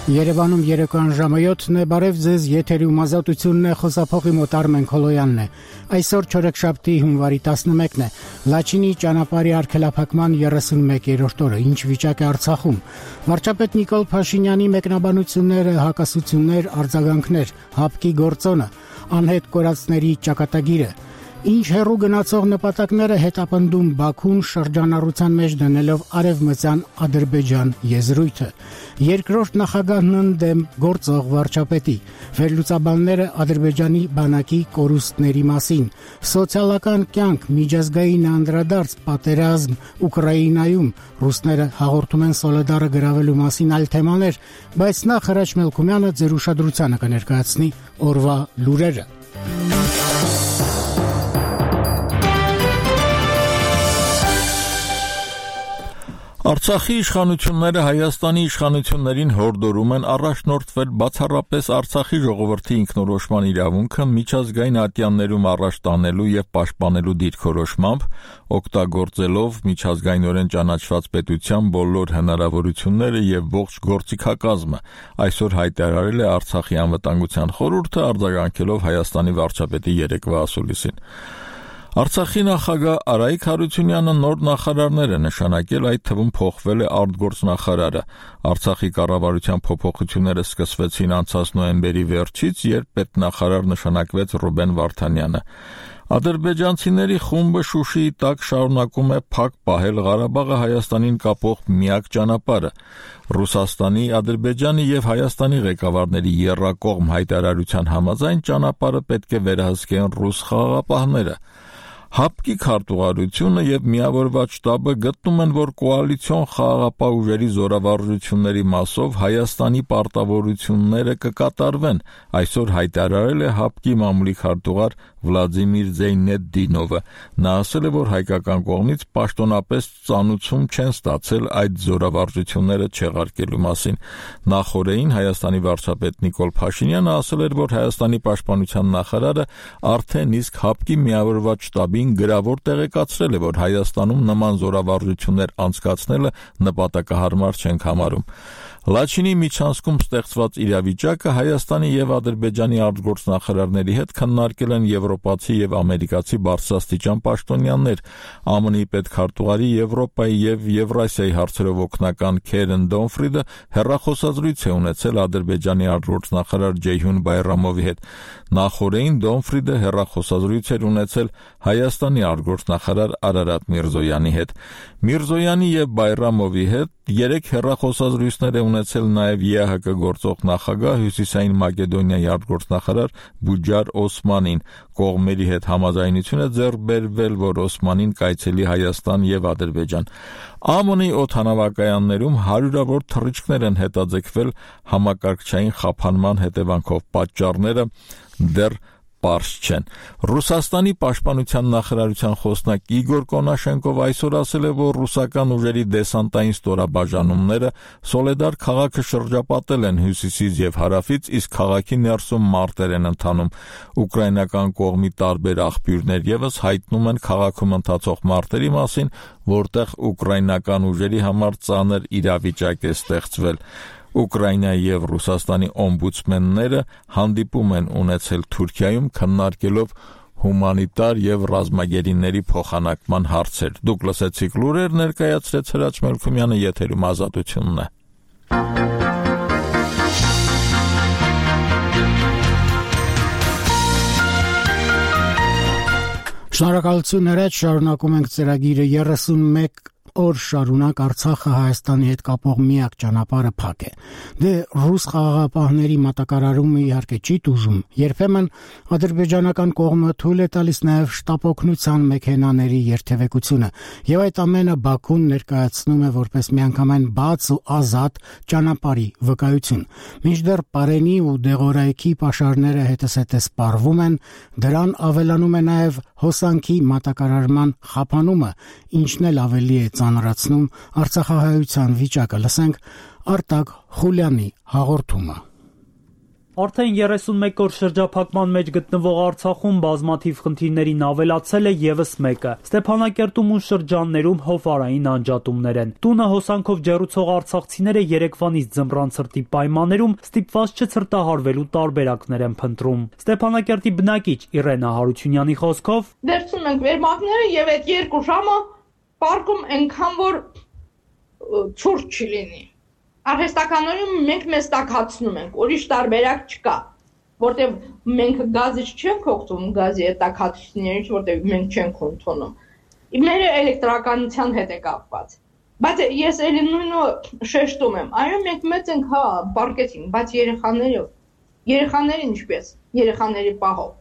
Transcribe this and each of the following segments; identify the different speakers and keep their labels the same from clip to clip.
Speaker 1: Երևանում երեկոյան ժամը 7-ն է, բարև ձեզ, եթերում ազատությունն է, խոսափողի մոտ Արմեն Քոլոյանն է։ Այսօր չորեքշաբթի հունվարի 11-ն է, Լաչինի ճանապարհի արգելափակման 31-րդ օրը, ինչ վիճակ է Արցախում։ Վարչապետ Նիկոլ Փաշինյանի մեկնաբանությունները, հակասություններ, արձագանքներ, հապկի գործոնը, անհետ կորածների ճակատագիրը։ Ինչ հեռու գնացող նպատակները հետապնդում Բաքուն շրջանառության մեջ դնելով արևմտյան Ադրբեջան եզրույթը։ Երկրորդ նախագահն ընդդեմ գործող վարչապետի, վերլուծաբանները Ադրբեջանի բանակի կորուստների մասին, սոցիալական կյանք, միջազգային անդրադարձ, պատերազմ Ուկրաինայում, ռուսները հաղորդում են Սոլեդարը գրավելու մասին այլ թեմաներ, բայց նախ Հրաչ Մելքումյանը ձեր ուշադրությանը կներկայացնի օրվա լուրերը։
Speaker 2: Արցախի իշխանությունները Հայաստանի իշխանություններին հորդորում են առաջնորդվել բացառապես Արցախի ժողովրդի ինքնորոշման իրավունքը միջազգային ատյաններում առաջ տանելու եւ պաշտպանելու դիրքորոշմամբ, օգտագործելով միջազգայինորեն ճանաչված պետության բոլոր հնարավորությունները եւ ողջ գործիքակազմը, այսօր հայտարարել է Արցախի անվտանգության խորհուրդը, արձագանքելով Հայաստանի վարչապետի երեկվա ասուլիսին։ Արցախի նախագահ Արայիկ Հարությունյանը նոր նախարարներ է նշանակել, այդ թվում փոխվել է արտգործնախարարը։ Արցախի կառավարության փոփոխությունները սկսվեցին անցած նոյեմբերի վերջից, երբ պետնախարար նշանակվեց Ռուբեն Վարդանյանը։ Ադրբեջանցիների խումբը Շուշիի տակ շարունակում է փակ պահել Ղարաբաղը Հայաստանին կապող միակ ճանապարհը։ Ռուսաստանի, Ադրբեջանի եւ Հայաստանի ղեկավարների եռակողմ հայտարարության համաձայն ճանապարհը պետք է վերահսկեն ռուս խաղաղապահները։ Հապկի քարտուղարությունը եւ միավորված շտաբը գտնում են, որ կոալիցիոն խաղաղապահ ուժերի զորավարժությունների մասով Հայաստանի պարտավորությունները կկատարվեն, այսօր հայտարարել է Հապկի մամուլի քարտուղար Վլադիմիր Զեյնեդդինովը։ Նա ասել է, որ հայկական կողմից պաշտոնապես ծանուցում չեն ստացել այդ զորավարժությունները չեղարկելու մասին։ Նախորդին Հայաստանի վարչապետ Նիկոլ Փաշինյանը ասել էր, որ Հայաստանի պաշտպանության նախարարը արդեն իսկ Հապկի միավորված շտաբին գրավոր տեղեկացրել է, որ Հայաստանում նման զորավարժություններ անցկացնելը նպատակահարմար չենք համարում։ Լաչինի միջանցքում ստեղծված իրավիճակը Հայաստանի եւ Ադրբեջանի արտգործնախարարների հետ քննարկել են եվրոպացի եւ ամերիկացի բարձրաստիճան պաշտոնյաներ։ ԱՄՆ-ի պետքարտուղարի Եվրոպայի եւ Եվրասիայի հարցերով օգնական Քերեն Դոնֆրիդը հեռախոսազրույց է ունեցել Ադրբեջանի արտգործնախարար Ջեյհուն Բայրամովի հետ։ Նախորդին Դոնֆրիդը հեռախոսազրույց էր ունեցել Հայաստանի արտգործնախարար Արարատ Միրզոյանի հետ։ Միրզոյանի եւ Բայրամովի հետ 3 հեռախոսազրույցներ է ունեցել նաև ԵԱՀԿ գործող նախագահ Հյուսիսային Մակեդոնիայի արտգործնախարար Բուջար Օսմանին։ Կողմերի հետ համաձայնություն է ձեռք բերվել, որ Օսմանին կայցելի Հայաստան եւ Ադրբեջան։ ԱՄՆ-ի օդանավակայաններում հարյուրավոր թռիչքներ են հետաձգվել համակարգչային խափանման հետևանքով, պատճառները դեռ պարզ չեն։ Ռուսաստանի պաշտպանության նախարարության խոսնակ Իգոր Կոնաշենկով այսօր ասել է, որ ռուսական ուժերի դեսանտային ստորաբաժանումները Սոլեդար քաղաքը շրջապատել են հյուսիսից եւ հարավից, իսկ քաղաքի ներսում մարտեր են ընթանում։ Ուկրաինական կողմի տարբեր աղբյուրներ եւս հայտնում են քաղաքում ընթացող մարտերի մասին, որտեղ ուկրաինական ուժերի համար ծանր իրավիճակ է ստեղծվել։ Ուկրաինայի եւ Ռուսաստանի օմբուդսմենները հանդիպում են ունեցել Թուրքիայում քննարկելով հումանիտար եւ ռազմագերիների փոխանակման հարցեր։ Դուք լսեցիք լուրեր, ներկայացրեց Հրաչ Մելքումյանը, եթերում ազատությունն է։
Speaker 1: Շնորհակալություն Հրաչ, շարունակում ենք ծրագիրը 31 օր շարունակ Արցախը Հայաստանի հետ կապող միակ ճանապարհը փակ է։ Դե ռուս խաղաղապահների մատակարարումը իհարկե չի տուժում։ Երբեմն ադրբեջանական կողմը թույլ է տալիս նաև շտապօգնության մեքենաների երթևեկությունը, եւ այդ ամենը Բաքուն ներկայացնում է որպես միանգամայն բաց ու ազատ ճանապարհի վկայություն։ Մինչդեռ Պարենի ու Դեղորայքի պաշարները հետզհետե սպառվում են, դրան ավելանում է նաև հոսանքի մատակարարման խափանումը, ինչն էլ ավելի է ծանրացնում արցախահայության վիճակը։ Լսենք Արտակ Խուլյանի հաղորդումը։
Speaker 3: Արդեն 31 օր շրջափակման մեջ գտնվող Արցախում բազմաթիվ խնդիրներին ավելացել է եւս մեկը։ Ստեփանակերտում ու շրջաններում հովարային անջատումներ են։ Տունը հոսանքով ջեռուցող արցախցիները երեկվանից ձմռան ցրտի պայմաններում ստիպված չցրտահարվելու տարբերակներ են փնտրում։ Ստեփանակերտի բնակիչ Իրենա Հարությունյանի խոսքով.
Speaker 4: Վերցնում ենք վերմակները եւ այդ 2 ժամը պարկում այնքան որ ցուրտ չի լինի։ Արհեստականորեն մենք մեզ տաքացնում ենք, ուրիշ տարբերակ չկա, որտեղ մենք գազից չենք օգտվում, գազի այդ տաքացուցիչներից, որտեղ մենք չենք ընդունում։ Մեր էլեկտրականության հետ է կապված։ Բայց ես էլի նույնը շեշտում եմ, այո, մենք մեծ ենք, հա, պարկեցինք, բայց երեխաներին ինչպես, երեխաների պահով։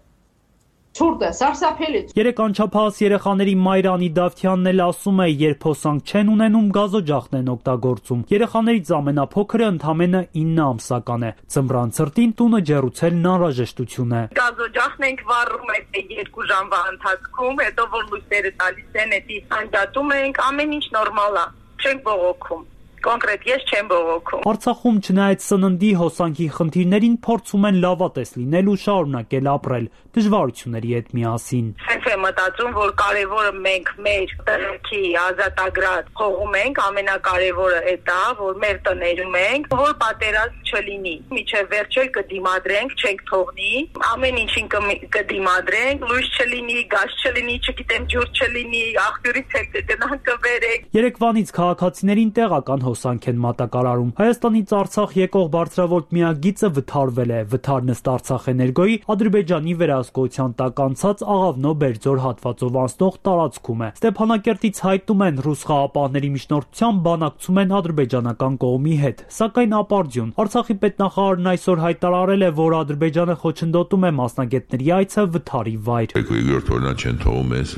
Speaker 4: Ցուրտ է, սարսափելի։
Speaker 3: 3 անչափահաս երեխաների մայր Անի Դավթյանն էլ ասում է, երբ հոսանք չեն ունենում, գազօջախն են օգտագործում։ Երեխաներից ամենափոքրը ընդամենը 9 ամսական է։ Ձմռան ցրտին տունը ջեռուցելն անհրաժեշտություն է։
Speaker 5: Գազօջախն ենք վառում այդ 2 ժամվա ընթացքում, հետո որ լույսերը տալիս են, էդի անջատում ենք, ամեն ինչ նորմալ է, չենք բողոքում։ Կոնկրետ ես չեմ բողոքում։
Speaker 3: Արցախում չնայած սննդի հոսանքի խնդիրներին փորձում են լավատես լինել ու շարունակել ապրել դժվարությունների հետ միասին։
Speaker 5: Սենց եմ մտածում, որ կարևորը մենք մեր տղերքի ազատագրած հողում ենք, ամենակարևորը դա, որ մեր տներում ենք, որ պատերազմ չլինի։ Միջև վերջել կդիմադրենք, չենք թողնի, ամեն ինչին կդիմադրենք, լույս չլինի, գազ չլինի, չգիտեմ ջուր չլինի, աղբյուրից էլ կգնանք կբերենք։
Speaker 3: Երեկվանից քաղաքացիներին տեղական հոսանք են մատակարարում։ Հայաստանից Արցախ եկող բարձրավոլտ միակ գիծը վթարվել է։ Վթարն ըստ Արցախ էներգոյի Ադրբեջանի վերահսկողության տակ անցած Աղավնո-Բերձոր հատվածով անցնող տարածքում է։ Ստեփանակերտից հայտնում են ռուս խաղապահների միջնորդությամբ բանակցում են ադրբեջանական կողմի հետ, սակայն ապարդյուն։ Արցախի պետնախարարն այսօր հայտարարել է, որ Ադրբեջանը խոչընդոտում է մասնագետների այցը վթարի վայր։
Speaker 6: Երկրորդ օրնա չեն թողում մեզ,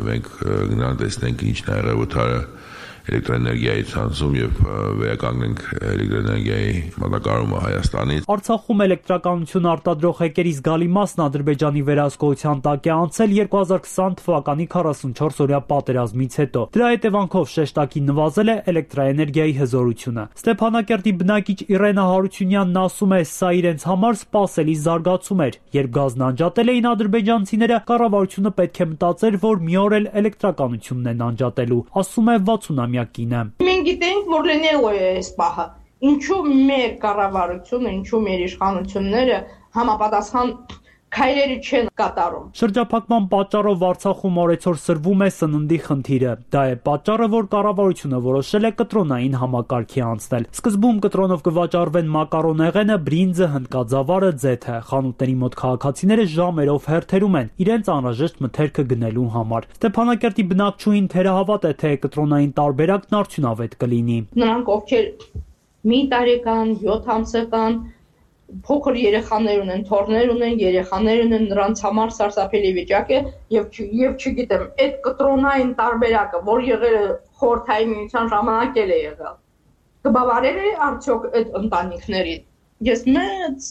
Speaker 6: մենք գնանք տեսնենք ինչն է եղել վթարը էլեկտրոէներգիայի ցանցում եւ վերականգնենք էլեկտրոէներգիայի մատակարարումը Հայաստանից։
Speaker 3: Արցախում էլեկտրականություն արտադրող հեկերի զգալի մասն Ադրբեջանի վերահսկողության տակ է անցել 2020 թվականի 44-օրյա պատերազմից հետո։ Դրա հետևանքով շեշտակի նվազել է էլեկտրաէներգիայի հզորությունը։ Ստեփանակերտի բնակիչ Իրենա Հարությունյանն ասում է, սա իրենց համար սպասելի զարգացում էր։ Երբ գազն անջատել էին ադրբեջանցիները, կառավարությունը պետք է մտածեր, որ մի օր էլ էլեկտրականությունն են անջատելու։ Ասում է 60-ամյակինը։
Speaker 4: Մենք գիտենք, որ լինելու է այս պահը։ Ինչու մեր կառավարությունը, ինչու մեր իշխանությունները համապատասխան քայլերի չեն կատարում։
Speaker 3: Շրջափակման պատճառով Արցախում օրեցօր սրվում է սննդի խնդիրը։ Դա է պատճառը, որ կառավարությունը որոշել է կտրոնային համակարգի անցնել։ Սկզբում կտրոնով կվաճառվեն մակարոնեղենը, բրինձը, հնդկաձավարը, ձեթը։ Խանութների մոտ քաղաքացիները ժամերով հերթերում են իրենց անհրաժեշտ մթերքը գնելու համար։ Ստեփանակերտի բնակչուհին թերահավատ է, թե կտրոնային տարբերակն արդյունավետ կլինի։
Speaker 4: Նրանք ովքեր մի տարեկան, 7 ամսական փոքր երեխաներ ունեն, թոռներ ունեն, երեխաներ ունեն, նրանց համար սարսափելի վիճակ է եւ չգիտեմ, այդ կտրոնային տարբերակը, որ եղել է խորհրդային միության ժամանակ էլ է եղել, կբավարար է արդյոք այդ ընտանիքներին։ Ես մեծ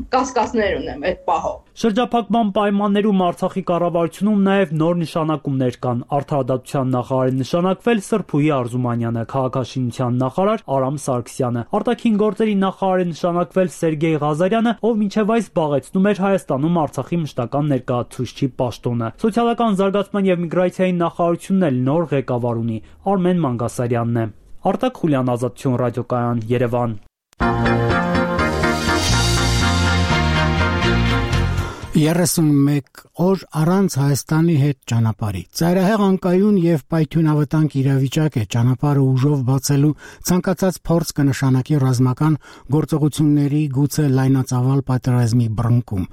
Speaker 4: կասկածներ ունեմ այդ պահով։
Speaker 3: Շրջափակման պայմաններում Արցախի կառավարությունում նաև նոր նշանակումներ կան։ Արդարադատության նախարար է նշանակվել Սրփուհի Արզումանյանը, քաղաքաշինության նախարար Արամ Սարգսյանը, արտաքին գործերի նախարար է նշանակվել Սերգեյ Ղազարյանը, ով մինչև այս զբաղեցնում էր Հայաստանում Արցախի մշտական ներկայացուցչի պաշտոնը։ Սոցիալական զարգացման եւ միգրացիայի նախարարությունն էլ նոր ղեկավար ունի, Արմեն Մանգասարյանն է։ Արտակ Խուլյան, Ազատություն ռադիոկայան, Երևան։
Speaker 1: 31 օր առանց Հայաստանի հետ ճանապարհի։ Ծայրահեղ անկայուն եւ պայթյունավտանգ իրավիճակ է ճանապարհը ուժով բացելու ցանկացած փորձ կնշանակի ռազմական գործողությունների գուցե լայնածավալ պատերազմի բռնկում։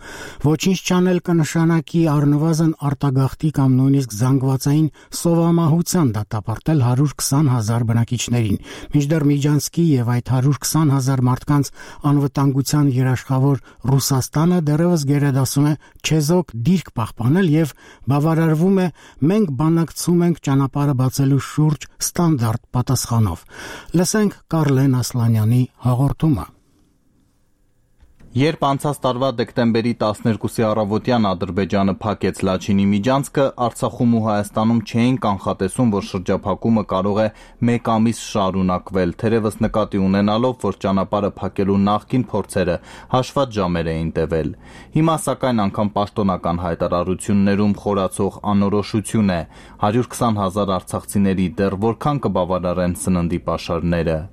Speaker 1: Ոչինչ չանել կնշանակի առնվազն արտագաղթի կամ նույնիսկ զանգվածային սովամահության դատապարտել 120,000 բնակիչներին։ Մինչդեռ Միջանցքի եւ այդ 120,000 մարդկանց անվտանգության երաշխավոր Ռուսաստանը դեռևս գերադասում է չեզոք դիրք պահպանել եւ բավարարվում է մենք բանակցում ենք ճանապարհը բացելու շուրջ ստանդարտ պատասխանով։ Լսենք Կարլեն Ասլանյանի հաղորդումը։
Speaker 7: Երբ անցած տարվա դեկտեմբերի 12-ի առավոտյան Ադրբեջանը փակեց Լաչինի միջանցքը, Արցախում ու Հայաստանում չէին կանխատեսում, որ շրջափակումը կարող է 1 ամիս շարունակվել, թերևս նկատի ունենալով, որ ճանապարհը փակելու նախկին փորձերը հաշված ժամեր էին տևել։ Հիմա սակայն անգամ պաշտոնական հայտարարություններում խորացող անորոշություն է 120,000 արցախցիների դեռ որքան կբավարարեն սննդի պաշարները։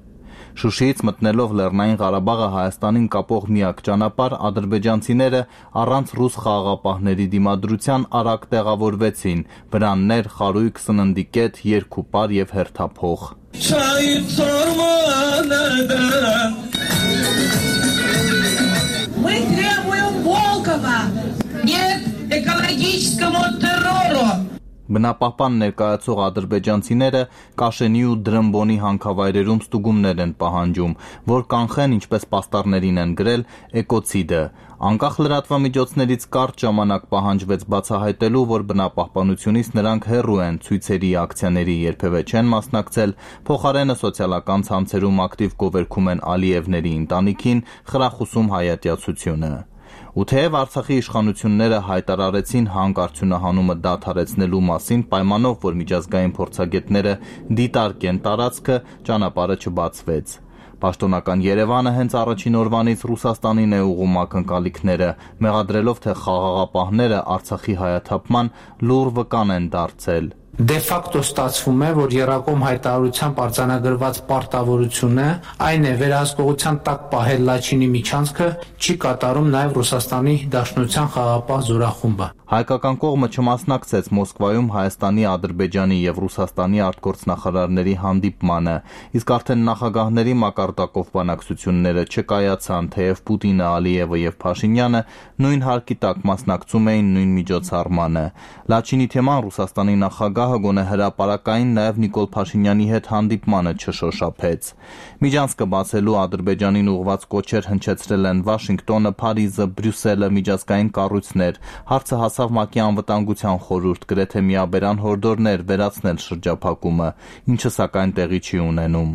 Speaker 7: Շուշիից մտնելով Լեռնային Ղարաբաղը Հայաստանին կապող միակ ճանապարհ, ադրբեջանցիները առանց ռուս խաղաղապահների դիմադրության արագ տեղավորվեցին վրաններ, խարույկ, սննդի կետ, երկուպար եւ հերթափող։
Speaker 8: Мы требуем Волкова! Нет экологическому террору!
Speaker 7: Բնապահպան ներկայացող ադրբեջանցիները Կաշենի ու Դրմբոնի հանքավայրերում ստուգումներ են պահանջում, որ կանխեն, ինչպես պաստառներին են գրել, էկոցիդը։ Անկախ լրատվամիջոցներից կարճ ժամանակ պահանջվեց բացահայտելու, որ բնապահպանությունից նրանք հեռու են ցույցերի, ակցիաների երբևէ չեն մասնակցել, փոխարենը սոցիալական ցանցերում ակտիվ գովերքում են Ալիևների ընտանիքին, խրախուսում հայատյացությունը։ Ու թեև Արցախի իշխանությունները հայտարարեցին հանքարդյունահանումը դադարեցնելու մասին պայմանով, որ միջազգային փորձագետները դիտարկեն տարածքը, ճանապարհը չբացվեց։ Պաշտոնական Երևանը հենց առաջին օրվանից Ռուսաստանին է ուղղում ակնկալիքները, մեղադրելով, թե խաղաղապահները Արցախի հայաթափման լուռ վկան են դարձել։
Speaker 9: Դե ֆակտո ստացվում է, որ Եռակոմ հայտարարությամբ արձանագրված պարտավորությունը, այն է վերահսկողության տակ պահել Լաչինի միջանցքը, չի կատարում նաև Ռուսաստանի Դաշնության խաղաղապահ զորախումբը։
Speaker 7: Հայկական կողմը չմասնակցեց Մոսկվայում Հայաստանի, Ադրբեջանի եւ Ռուսաստանի արտգործնախարարների հանդիպմանը, իսկ արդեն նախագահների մակարդակով բանակցությունները չկայացան, թեև Պուտինը, Ալիևը եւ Փաշինյանը նույն հարկի տակ մասնակցում էին նույն միջոցառմանը։ Լաչինի թեման Ռուսաստանի նախագահը գոնե հրապարակային նաև Նիկոլ Փաշինյանի հետ հանդիպմանը չշոշափեց։ Միջանցքը բացելու Ադրբեջանին ուղղված կոչեր հնչեցրել են Վաշինգտոնը, Փարիզը, Բրյուսելը, միջազգային կառույցներ, հարցը հասավ ՄԱԿ-ի անվտանգության խորհուրդ, գրեթե միաբերան հորդորներ վերացնել շրջափակումը, ինչը սակայն տեղի չի ունենում։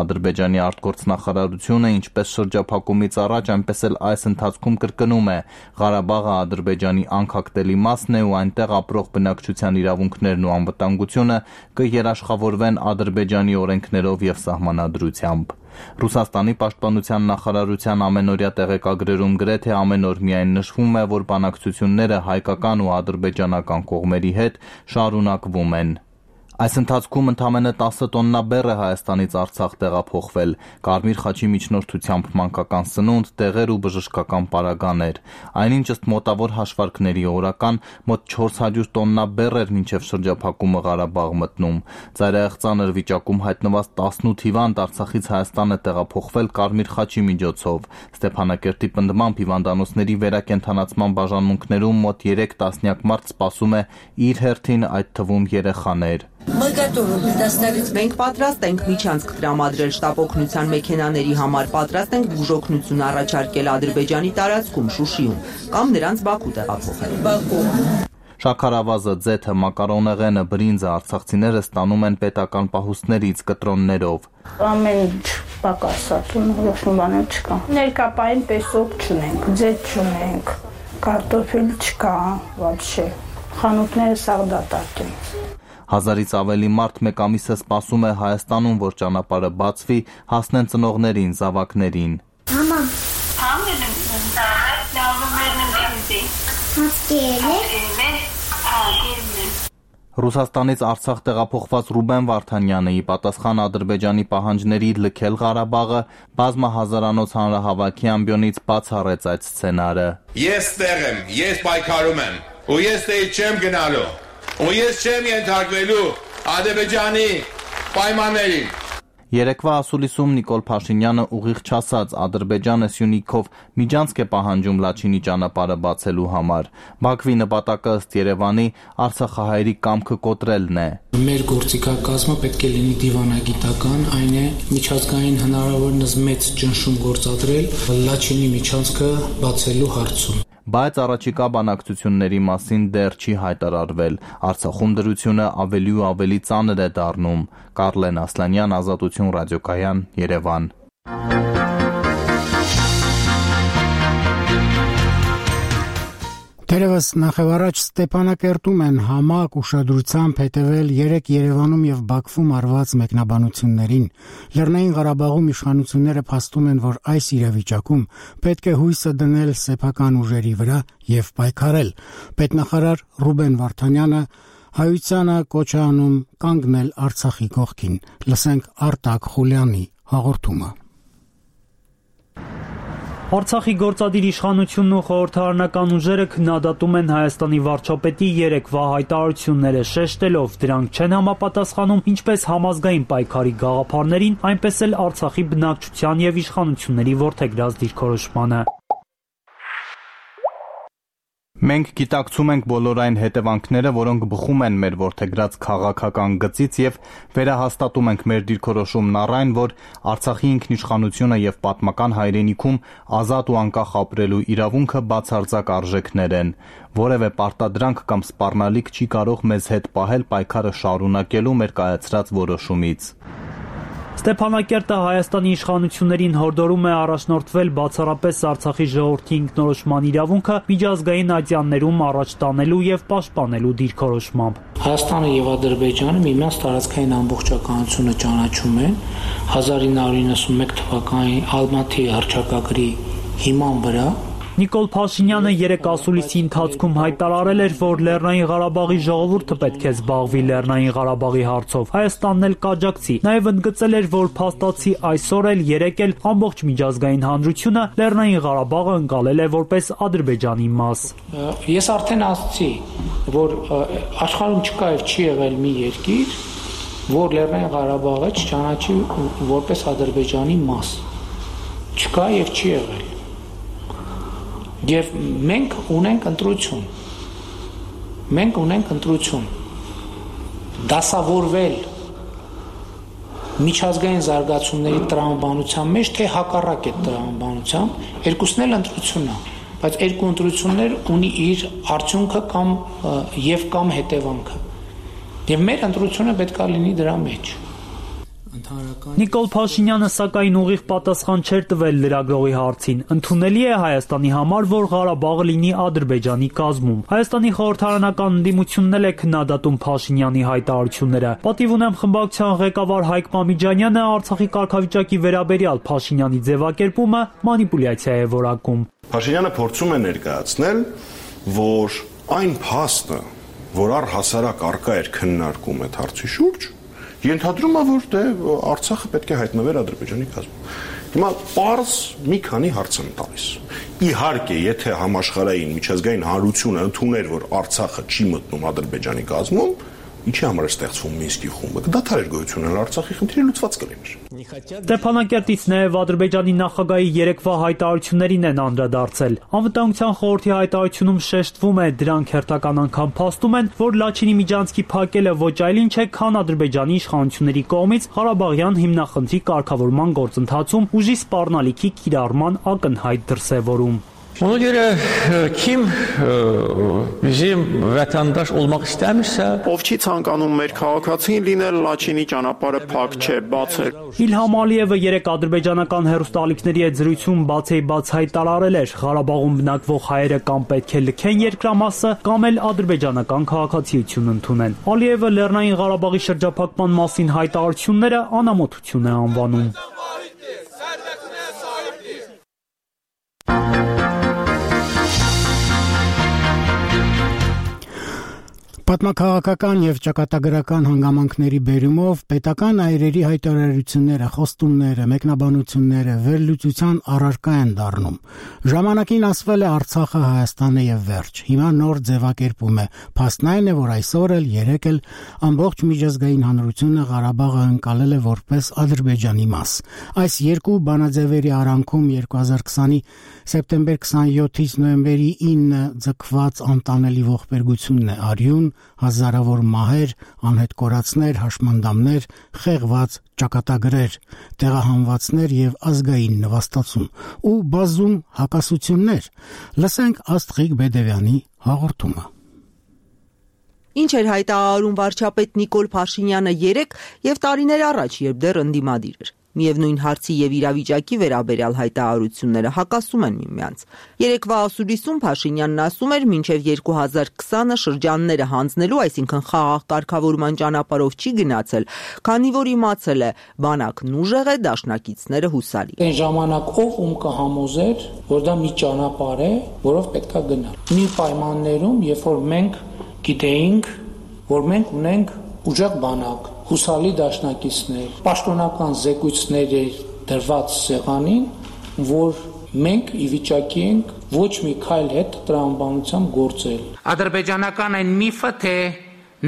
Speaker 7: Ադրբեջանի արտգործնախարարությունը ինչպես շրջափակումից առաջ, այնպես էլ այս ընթացքում կրկնում է, Ղարաբաղը Ադրբեջանի անկախտելի մասն է ու այնտեղ ապրող բնակչության իրավունքներն ու անվտանգությունը կերաշխավորվեն Ադրբեջանի օրենքներով եւ սահմանադրությամբ։ Ռուսաստանի պաշտպանության նախարարության ամենօրյա տեղեկագրերում գրեթե ամեն օր միայն նշվում է, որ բանակցությունները հայկական ու ադրբեջանական կողմերի հետ շարունակվում են։ Այս ընթացքում ընդամենը 10 տոննա բեռ է Հայաստանից Արցախ տեղափոխվել, Կարմիր խաչի միջնորդությամբ մանկական սնունդ, դեղեր ու բժշկական պարագաներ։ Այնինչ ըստ մոտավոր հաշվարկների օրական մոտ 400 տոննա բեռ էր մինչև շրջափակումը Ղարաբաղ մտնում։ Ծայրահեղ ծանր վիճակում հայտնված 18 հիվանդ Արցախից Հայաստան է տեղափոխվել Կարմիր խաչի միջոցով։ Ստեփանակերտի պնդմամբ հիվանդանոցների վերակենդանացման բաժանմունքներում մոտ 3 տասնյակ մարդ սպասում է իր հերթին, այդ թվում երեխաներ։
Speaker 10: Մենք պատրաստ ենք միջանցք տրամադրել շտապօգնության մեքենաների համար, պատրաստ ենք բուժօգնություն առաջարկել Ադրբեջանի տարածքում, Շուշիում, կամ նրանց Բաքու տեղափոխել։
Speaker 7: Շաքարավազը, ձեթը, մակարոնեղենը, բրինձը արցախցիները ստանում են պետական պահուստներից կտրոններով։
Speaker 11: Ամեն ինչ պակասած ու ոչ մի բան չկա։ Ներկապային պեսոկ չունենք, ձեթ չունենք, կարտոֆիլ չկա, вообще։ Խանութները սաղ դատարկ են։
Speaker 7: 1000-ից ավելի մարդ 1 ամիս է սպասում է Հայաստանում, որ ճանապարհը բացվի, հասնեն ծնողներին, զավակներին։
Speaker 12: Մամա,
Speaker 7: Ռուսաստանից Արցախ տեղափոխված Ռուբեն Վարդանյանը ի պատասխան Ադրբեջանի պահանջների լքել Ղարաբաղը բազմահազարանոց հանրահավաքի ամբիոնից բացառեց այդ սցենարը։
Speaker 13: Ես տեղ եմ, ես պայքարում եմ, ու ես տեղ չեմ գնալու, ու ես չեմ ենթարկվելու Ադրբեջանի պայմաններին։
Speaker 7: Երեկվա ասուլիսում Նիկոլ Փաշինյանը ուղիղ չասաց Ադրբեջանը Սյունիքով միջանցք է պահանջում Լաչինի ճանապարհը բացելու համար։ Բաքվի նպատակը ըստ Երևանի արցախահայերի կամքը կոտրելն է։
Speaker 9: Մեր գործիքակազմը պետք է լինի դիվանագիտական, այն է միջազգային հնարավորինս մեծ ճնշում գործադրել Լաչինի միջանցքը բացելու հարցում։
Speaker 7: Բայց առաջիկա բանակցությունների մասին դեռ չի հայտարարվել։ Արցախում դրությունը ավելի ու ավելի ծանր է դառնում։ Կարլեն Ասլանյան, Ազատություն ռադիոկայան, Երևան։
Speaker 1: Դերևս նախևառաջ Ստեփանակերտում են համակ ուշադրությամբ հետևել 3 Երևանում եւ Բաքվում արված մեկնաբանություններին։ Լեռնային Ղարաբաղում իշխանությունները փաստում են, որ այս իրավիճակում պետք է հույսը դնել սեփական ուժերի վրա եւ պայքարել։ Պետնախարար Ռուբեն Վարդանյանը հայությանը կոչ է անում կանգնել Արցախի կողքին։ Լսենք Արտակ Խուլյանի հաղորդումը։
Speaker 3: Արցախի գործադիր իշխանությունն ու խորհրդարանական ուժերը քննադատում են Հայաստանի վարչապետի երեկվա հայտարարությունները, շեշտելով դրանք չեն համապատասխանում ինչպես համազգային պայքարի գաղափարներին, այնպես էլ Արցախի բնակչության եւ իշխանությունների որդեգրած դիրքորոշմանը։
Speaker 7: Մենք գիտակցում ենք բոլոր այն հետևանքները, որոնք բխում են մեր որդեգրած քաղաքական գծից եւ վերահաստատում ենք մեր դիրքորոշումն առ այն, որ Արցախի ինքնիշխանությունը եւ պատմական հայրենիքում ազատ ու անկախ ապրելու իրավունքը բացարձակ արժեքներ են։ Որևէ պարտադրանք կամ սպառնալիք չի կարող մեզ հետ պահել պայքարը շարունակելու մեր կայացրած որոշումից։
Speaker 3: Ստեփանակերտը Հայաստանի իշխանություններին հորդորում է առաջնորդվել բացառապես Արցախի ժողովրդի ինքնորոշման իրավունքը միջազգային ատյաններում առաջ տանելու եւ պաշտպանելու դիրքորոշմամբ։
Speaker 9: Հայաստանը եւ Ադրբեջանը միմյանց տարածքային ամբողջականությունը ճանաչում են 1991 թվականի Ալմատի հռչակագրի հիման վրա։
Speaker 3: Նիկոլ Փաշինյանը երեք ասուլիսի ընթացքում հայտարարել էր, որ Լեռնային Ղարաբաղի ժողովուրդը պետք է զբաղվի Լեռնային Ղարաբաղի հարցով, Հայաստանն էլ կաջակցի։ Նաև ընդգծել էր, որ փաստացի այսօր էլ երեկ էլ ամբողջ միջազգային հանրությունը Լեռնային Ղարաբաղը ընկալել է որպես Ադրբեջանի մաս։
Speaker 9: Ես արդեն ասացի, որ աշխարհում չկա եւ չի եղել մի երկիր, որ Լեռնային Ղարաբաղը չճանաչի որպես Ադրբեջանի մաս։ Չկա եւ չի եղել։ Եվ մենք ունենք ընտրություն, դասավորվել միջազգային զարգացումների տրամաբանության մեջ, թե հակառակ այդ տրամաբանությամբ, երկուսն էլ ընտրությունն է, բայց երկու ընտրություններ ունի իր արդյունքը կամ հետևանքը, եւ մեր ընտրությունը պետք է լինի դրա մեջ։
Speaker 3: Նիկոլ Փաշինյանը սակայն ուղիղ պատասխան չէր տվել լրագրողի հարցին։ Ընդունելի է Հայաստանի համար, որ Ղարաբաղը լինի Ադրբեջանի կազմում։ Հայաստանի խորհրդարանական ընդդիմությունն էլ է քննադատում Փաշինյանի հայտարարությունները։ Պատիվ ունեմ խմբակցության ղեկավար Հայկ Մամիջանյանը Արցախի կարգավիճակի վերաբերյալ Փաշինյանի ձևակերպումը մանիպուլյացիա է որակում։
Speaker 12: Փաշինյանը փորձում է ներկայացնել, որ այն փաստը, որ առհասարակ առկա էր քննարկում այդ հարցի շուրջ, ենթադրում է, որ Արցախը պետք է հայտնվեր Ադրբեջանի կազմում։ Հիմա պարզ մի քանի հարց եմ տալիս։ Իհարկե, եթե համաշխարհային միջազգային հանրությունը ընդուներ, որ Արցախը չի մտնում Ադրբեջանի կազմում, ինչի համար է ստեղծվում Մինսկի խումբը, կդադարեր գոյություն ունենալ Արցախի խնդիրը լուծված կլիներ։
Speaker 3: Ստեփանակերտից նաև Ադրբեջանի նախագահի երեկվա հայտարարություններին են անդրադարձել։ Անվտանգության խորհրդի հայտարարությունում շեշտվում է, դրանք հերթական անգամ փաստում են, որ Լաչինի միջանցքի փակելը ոչ այլ ինչ է, քան Ադրբեջանի իշխանությունների կողմից Ղարաբաղյան հիմնախնդրի կարգավորման գործընթացում ուժի սպառնալիքի կիրառման ակնհայտ դրսևորում։
Speaker 14: Ona görə kim bizim vətəndaş olmaq istəmirsə,
Speaker 15: ով չի ցանկանում մեր քաղաքացին լինել, Լաչինի ճանապարհը փակ չէ, բաց է։
Speaker 3: Իլհամ Ալիևը երեք ադրբեջանական հեռուստաալիքների հետ զրույցում բաց հայտարարել էր, Ղարաբաղում բնակվող հայերը կամ պետք է լքեն երկրամասը, կամ էլ ադրբեջանական քաղաքացիություն ընդունեն։ Ալիևը Լեռնային Ղարաբաղի շրջափակման մասին հայտարարությունները անամոթություն է անվանում։
Speaker 1: Պատմաքաղաքական եւ ճակատագրական հանգամանքների բերումով պետական այրերի հայտարարությունները, խոստումները, մեկնաբանությունները վերլուծության առարկա են դառնում։ Ժամանակին ասվել է Արցախը Հայաստանը եւ վերջ։ Հիմա նոր ձևակերպում է։ Փաստն այն է, որ այսօր էլ երեկ էլ ամբողջ միջազգային հանրությունը Ղարաբաղը ընկալել է որպես Ադրբեջանի մաս։ Այս երկու բանաձևերի արանքում 2020-ի սեպտեմբեր 27-ից նոյեմբերի 9-ը ձգված անտանելի ողբերգությունն է արյուն, հազարավոր մահեր, անհետ կորածներ, հաշմանդամներ, խեղված ճակատագրեր, տեղահանվածներ եւ ազգային նվաստացում ու բազում հակասություններ։ Լսենք Աստղիկ Բեդևյանի հաղորդումը։
Speaker 10: Ինչ էր հայտարարում վարչապետ Նիկոլ Փաշինյանը երեկ եւ տարիներ առաջ, երբ դեռ ընդդիմադիր էր։ Միևնույն հարցի եւ իրավիճակի վերաբերյալ հայտարարությունները հակասում են միմյանց։ Երեկվա ասուլիսում Փաշինյանն ասում էր, մինչև 2020-ը շրջանները հանձնելու, այսինքն խաղաղ կարգավորման ճանապարհով չի գնացել, քանի որ իմացել է, բանակն ուժեղ է, դաշնակիցները հուսալի։
Speaker 9: Այն ժամանակ ով ում կհամոզեր, որ դա մի ճանապարհ է, որով պետքա գնալ։ Մի պայմաններում, երբ որ մենք գիտեինք, որ մենք ունենք ուժեղ բանակ, հուսալի դաշնակիցներ, պաշտոնական զեկույցներ դրված սեղանին, որ մենք ի վիճակի ենք ոչ մի քայլ հետ տրամաբանությամբ գործել։
Speaker 16: Ադրբեջանական այն միֆը, թե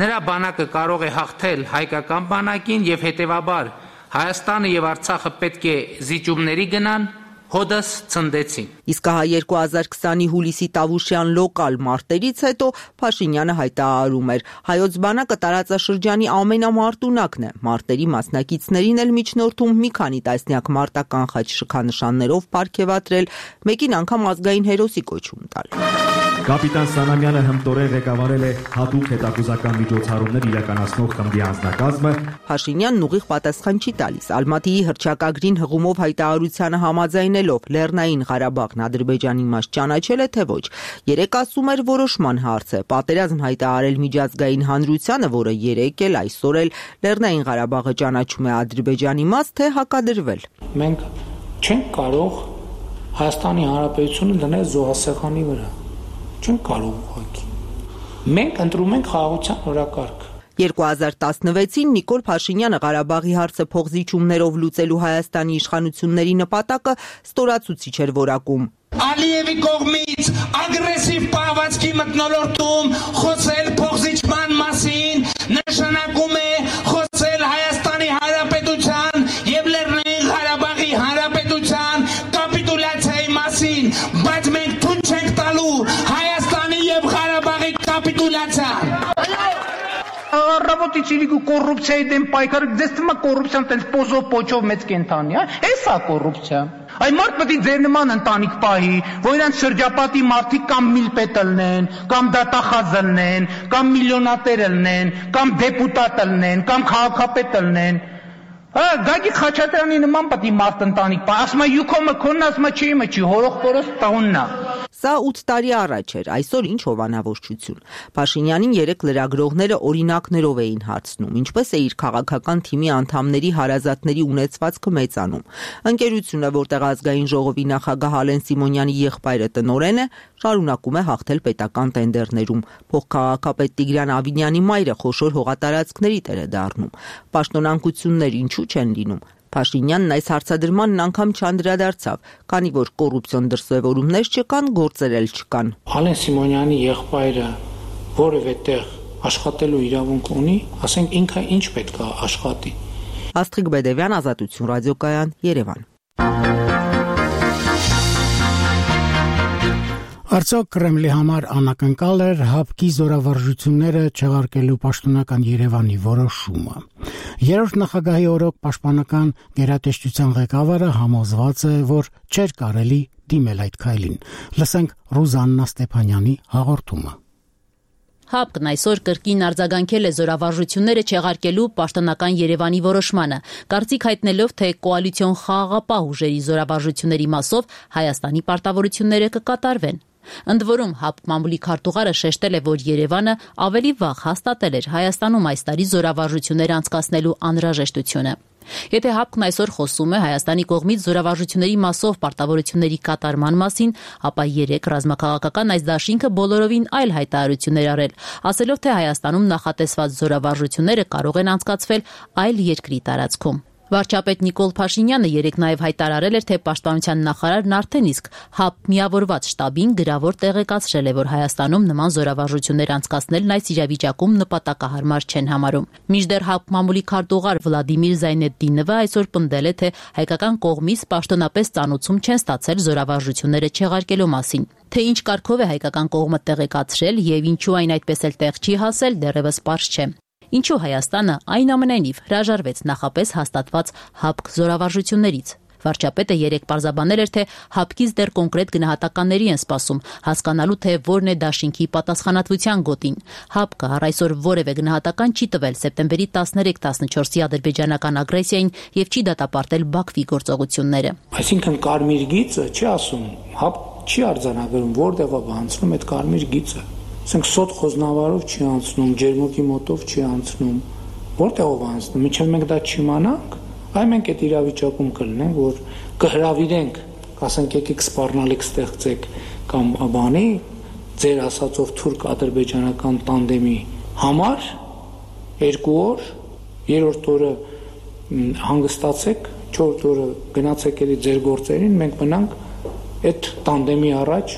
Speaker 16: նրա բանակը կարող է հաղթել հայկական բանակին եւ հետեւաբար Հայաստանը եւ Արցախը պետք է զիջումների գնան, հոդս ցնդեցին։
Speaker 10: Իսկ հա 2020-ի հուլիսի Տավուշյան լոկալ մարտերից հետո Փաշինյանը հայտարարում էր. հայոց բանակը տարածաշրջանի ամենամարտունակն է։ Մարտերի մասնակիցներին էլ միջնորդում մի քանի տասնյակ մարտական խաչ շքանշաններով պարգևատրել, մեկին անգամ ազգային հերոսի կոչում տալ։
Speaker 17: Կապիտան Սանամյանը հմտորեն ղեկավարել է հատուկ հետախուզական միջոցառումներ իրականացնող խմբի անձնակազմը։
Speaker 10: Փաշինյանն ուղիղ պատասխան չի տալիս։ Ալմատիի հռչակագրին հղումով հայտարարությանը համաձայնելով Լեռնային Ղարաբաղն Ադրբեջանի մաս ճանաչել է թե ոչ։ Երեկ ասում էր որոշման հարց է։ Պատերազմ հայտարարել միջազգային հանրությանը, որը երեկ էլ այսօր էլ Լեռնային Ղարաբաղը ճանաչում է Ադրբեջանի մաս, թե հակադրվել։
Speaker 9: Մենք չենք կարող Հայաստանի Հանրապետությունը դնել զոհասեղանի վրա։ Չենք կարող ուղղակի։ Մենք ընտրում ենք խաղաղության օրակարգ։
Speaker 10: 2016-ին Նիկոլ Փաշինյանը Ղարաբաղի հարցը փոխզիջումներով լուծելու Հայաստանի իշխանությունների նպատակը ստորացուցիչ էր որակում։
Speaker 8: Ալիևի կողմից ագրեսիվ պահվածքի մթնոլորտում խոսել փոխզիջման մասին նշանակում է խոսել Հայաստանի Հանրապետության եւ Լեռնային Ղարաբաղի Հանրապետության կապիտուլյացիայի մասին, բայց մենք թույլ չենք տալու Հայաստանի եւ Ղարաբաղի կապիտուլյացիան։
Speaker 18: Работайте или коррупцией դեմ պայքարը, ձեզ թվում է կոռուպցիան տենց պոզով պոչով մեծ կենթանի, էսա կոռուպցիա։ Այն մարդ պետք է ձեր նման ընտանիք պահի, որ իրանց շրջապատի մարդիկ կամ միլպետ լնեն, կամ դատախազ լնեն, կամ միլիոնատեր լնեն, կամ դեպուտատ լնեն, կամ քաղաքապետ լնեն։ Գագիկ Խաչատրյանի նման պետք է մարդ ընտանիք պահի, ասում է յուքոմը քոնն, ասում է չի, հորող կորոս տաուննա։
Speaker 10: Սա 8 տարի առաջ էր, այսօր ինչ հովանավորչություն։ Փաշինյանին երեք լրագրողները օրինակներով էին հարցնում, ինչպես է իր քաղաքական թիմի անդամների հարազատների ունեցվածքը մեծանում։ Ընկերությունը, որտեղ ազգային ժողովի նախագահ Ալեն Սիմոնյանի եղբայրը տնօրեն է, շարունակում է հաղթել պետական տենդերներում։ Փոխքաղաքապետ Տիգրան Ավինյանի մայրը խոշոր հողատարածքների տեր է դառնում։ Պաշտոնանկություններ ինչու չեն լինում։ Փաշինյանն այս հարցադրմանն անգամ չանդրադարձավ, քանի որ կոռուպցիոն դրսևորումներ չկան, գործեր էլ չկան։
Speaker 9: Ալեն Սիմոնյանի եղբայրը որևէ տեղ աշխատելու իրավունք ունի, ասենք ինքը ինչ պետք է աշխատի։
Speaker 10: Աստղիկ Բեդևյան, Ազատություն ռադիոկայան, Երևան։
Speaker 1: Արդյոք Կրեմլի համար անակնկալ էր ՀԱՊԿ-ի զորավարժությունները չեղարկելու պաշտոնական Երևանի որոշումը։ Երրորդ նախագահի օրոք պաշտպանական գերատեսչության ղեկավարը համոզված է, որ չէր կարելի դիմել այդ քայլին։ Լսենք Ռուզաննա Ստեփանյանի հաղորդումը։
Speaker 19: ՀԱՊԿ-ն այսօր կրկին արձագանքել է զորավարժությունները չեղարկելու պաշտոնական Երևանի որոշմանը, կարծիք հայտնելով, թե կոալիցիոն խաղաղապահ ուժերի զորավարժությունների մասով Հայաստանի պարտավորությունները կկատարվեն։ Ընդ որում ՀԱՊԿ մամուլի քարտուղարը շեշտել է, որ Երևանը ավելի վաղ հաստատել էր Հայաստանում այս տարի զորավարժություններ անցկացնելու անհրաժեշտությունը։ Եթե ՀԱՊԿ-ն այսօր խոսում է Հայաստանի կողմից զորավարժությունների մասով պարտավորությունների կատարման մասին, ապա երեք ռազմաքաղաքական այս դաշինքը բոլորովին այլ հայտարարություններ արել, ասելով, թե Հայաստանում նախատեսված զորավարժությունները կարող են անցկացվել այլ երկրի տարածքում։ Վարչապետ Նիկոլ Փաշինյանը երեկ նաև հայտարարել էր, թե պաշտպանության նախարարն արդեն իսկ ՀԱՊԿ միավորված շտաբին գրավոր տեղեկացրել է, որ Հայաստանում նման զորավարժություններ անցկացնելն այս իրավիճակում նպատակահարմար չեն համարում։ Մինչդեռ ՀԱՊԿ մամուլի քարտուղար Վլադիմիր Զայնեդդինովը այսօր պնդել է, թե հայկական կողմից պաշտոնապես ծանուցում չեն ստացել զորավարժությունները չեղարկելու մասին։ Թե ինչ կարգով է հայկական կողմը տեղեկացրել եւ ինչու այն այդպես էլ տեղ չի հասել, դեռևս պարզ չէ։ Ինչու Հայաստանը այնուամենայնիվ հրաժարվեց նախապես հաստատված ՀԱՊԿ զորավարժություններից։ Վարչապետը երեկ պարզաբանել էր, թե ՀԱՊԿ-ից դեռ կոնկրետ գնահատականների են սպասում, հասկանալու թե որն է դաշինքի պատասխանատվության գոտին։ ՀԱՊԿ-ը առ այսօր որևէ գնահատական չի տվել սեպտեմբերի 13-14-ի ադրբեջանական ագրեսիային եւ չի դատապարտել Բաքվի գործողությունները։
Speaker 9: Այսինքն կարմիր գիծը չի ասում, ՀԱՊԿ չի արձանագրում որտեղով անցնում այդ կարմիր գիծը։ Ասենք սոտ խոզնավարով չի անցնում, ջերմուկի մոտով չի անցնում, որտեղով անցնում, մինչև մենք դա չիմանանք, այ մենք այդ իրավիճակում կլինենք, որ կհրավիրենք, ասենք եկեք սպառնալիք ստեղծեք կամ բանի ձեր ասածով թուրք-ադրբեջանական տանդեմի համար 2 օր, 3-րդ օրը հանգստացեք, 4-րդ օրը գնացեք էլի ձեր գործերին, մենք մնանք այդ տանդեմի առաջ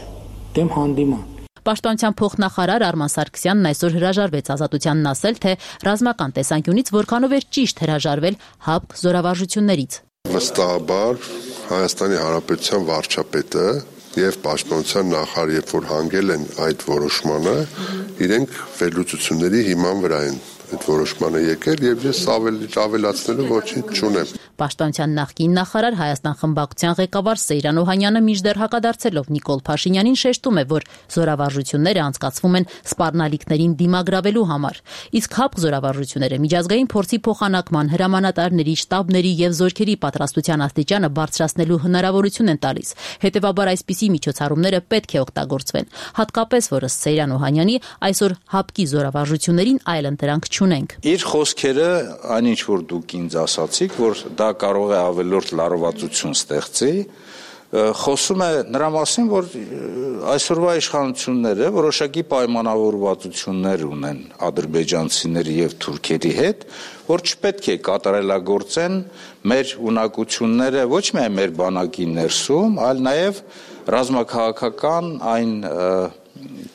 Speaker 9: դեմ հանդիման։
Speaker 19: Պաշտպանության փոխնախարար Արման Սարգսյանն այսօր հրաժարվեց ազատությանն ասել, թե ռազմական տեսանկյունից որքանով էր ճիշտ հրաժարվել ՀԱՊԿ զորավարժություններից։
Speaker 20: Վստահաբար Հայաստանի Հանրապետության վարչապետը եւ պաշտպանության նախարարը, երբ որ հանգել են այդ որոշմանը, իրենք վերլուծությունների հիման վրա են այդ որոշմանը եկել եւ ես ավելացնելու ոչինչ չունեմ։
Speaker 19: Պաշտպանության նախկին նախարար Հայաստան խմբակցության ղեկավար Սեյրան Օհանյանը մինչդեռ հակադարձելով Նիկոլ Փաշինյանին շեշտում է, որ զորավարժությունները անցկացվում են սպառնալիքներին դիմագրավելու համար, իսկ ՀԱՊԿ զորավարժությունները միջազգային փորձի փոխանակման, հրամանատարների, շտաբների եւ զորքերի պատրաստության աստիճանը բարձրացնելու հնարավորություն են տալիս։ Հետևաբար այսպիսի միջոցառումները պետք է օգտագործվեն, հատկապես որ ըստ Սեյրան Օհանյանի այսօր ՀԱՊԿ-ի զորավարժություններին այլ ընտրանք չունենք։
Speaker 21: Իր խոսքերը, այնինչ որ դուք ինձ ասացիք, որ դա կարող է ավելորդ լարվածություն ստեղծի, խոսում է նրա մասին, որ այսօրվա իշխանությունները որոշակի պայմանավորվածություններ ունեն ադրբեջանցիների եւ թուրքերի հետ, որ չպետք է կատարելագործեն մեր ունակությունները ոչ միայն մեր բանակի ներսում, այլ նաեւ ռազմաքաղաքական այն